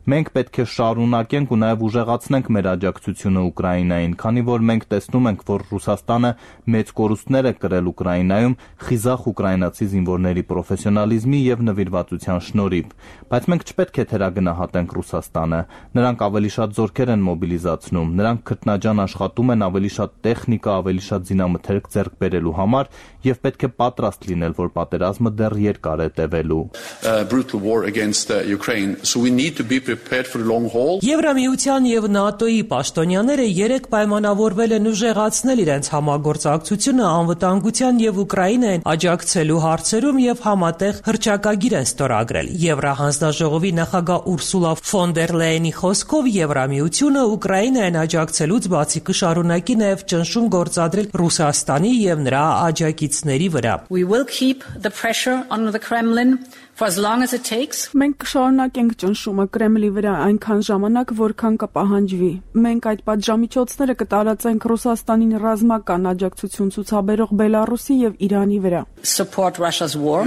Speaker 21: Մենք պետք է շարունակենք ու նաև ուժեղացնենք մեր աջակցությունը Ուկրաինային, քանի որ մենք տեսնում ենք, որ Ռուսաստանը մեծ կորուստներ է կրել Ուկրաինայում խիզախ ուկրաինացի զինվորների պրոֆեսիոնալիզմի եւ նվիրվածության շնորհիվ, բայց մենք չպետք է թերագնահատենք Ռուսաստանը։ Նրանք ավելի շատ զորքեր են մոբիլիզացնում, նրանք քրտնաջան աշխատում են ավելի շատ տեխնիկա, ավելի շատ զինամթերք ձեռք բերելու համար եւ պետք է պատրաստ լինել, որ պատերազմը դեռ երկար է տևելու։
Speaker 13: Brutal war against Ukraine, so we need to be prepared for the long haul.
Speaker 10: Եվրամիության եւ ՆԱՏՕ-ի պաշտոնյաները երեք պայմանավորվել են ուժեղացնել իրենց համագործակցությունը անվտանգության եւ Ուկրաինային աջակցելու հարցերում եւ համատեղ հռչակագիր են ստորագրել։ Եվրահանձնաժողովի նախագահ Ուրսուլա ֆոն դեր Լեյենի խոսքով Եվրամիությունը Ուկրաինային աջակցելուց բացի կշարունակի նաեւ ճնշում գործադրել Ռուսաստանի եւ նրա աջակիցների վրա։
Speaker 22: We will keep the pressure on the Kremlin
Speaker 5: For as long as it takes.
Speaker 6: Մենք կշարունակենք ճնշումը Կրեմլի վրա այնքան ժամանակ, որքան կպահանջվի։ Մենք այդ պատժամիջոցները կտարածենք Ռուսաստանին ռազմական աջակցություն ցուցաբերող Բելարուսի եւ Իրանի վրա։
Speaker 5: Support Russia's war,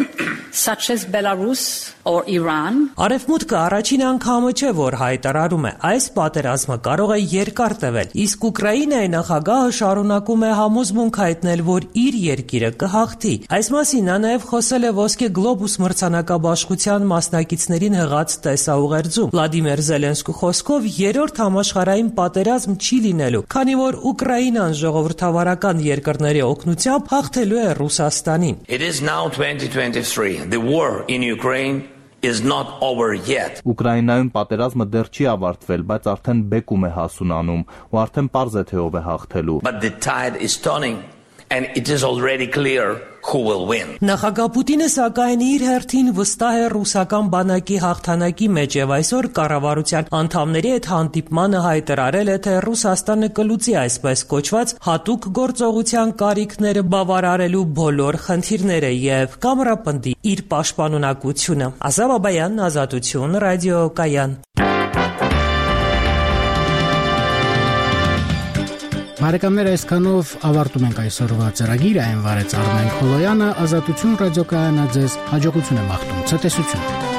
Speaker 5: such as Belarus or Iran.
Speaker 10: Արևմուտքը առաջին անգամը չէ, որ հայտարարում է, այս պատերազմը կարող է երկար տևել, իսկ Ուկրաինայի նախագահը շարունակում է համոզմունք հայտնել, որ իր երկիրը կհաղթի։ Այս մասին նա նաև խոսել է ոսկե գլոբուս մրցանակաբաշխության մասնակիցներին հղած տեսաուղերձում։ Վլադիմիր Զելենսկու խոսքով երրորդ համաշխարհային պատերազմ չի լինելու, քանի որ Ուկրաինան ժողովրդավարական երկրների օգնությամբ հաղթելու է Ռուսաստանին։
Speaker 19: It is now 2023. The war in Ukraine is not over yet.
Speaker 21: Ուկրաինայում պատերազմը դեռ չի ավարտվել, բայց արդեն բեկում է հասունանում, ու արդեն պարզ է թե ով է հաղթելու։
Speaker 19: But the tide is turning and it is already clear who will win.
Speaker 10: Նախագահ Պուտինը սակայն իր հերթին վստահ է ռուսական բանակի հաղթանակի մեջ եւ այսօր կառավարության անդամների հետ հանդիպմանը հայտարարել է, թե Ռուսաստանը կլուծի այսպես կոչված հատուկ գործողության կարիքները բավարարելու բոլոր խնդիրները եւ կամրապնդի իր պաշտպանունակությունը։ Ազատ Բաբայան, Ազատություն, Ռադիո Կայան։
Speaker 1: Բարեկամներ, այսքանով ավարտում ենք այսօրվա ծրագիրը, այն վարեց Արմեն Խոլոյանը, Ազատություն ռադիոկայանը ձեզ հաջողություն է մաղթում, ցտեսություն։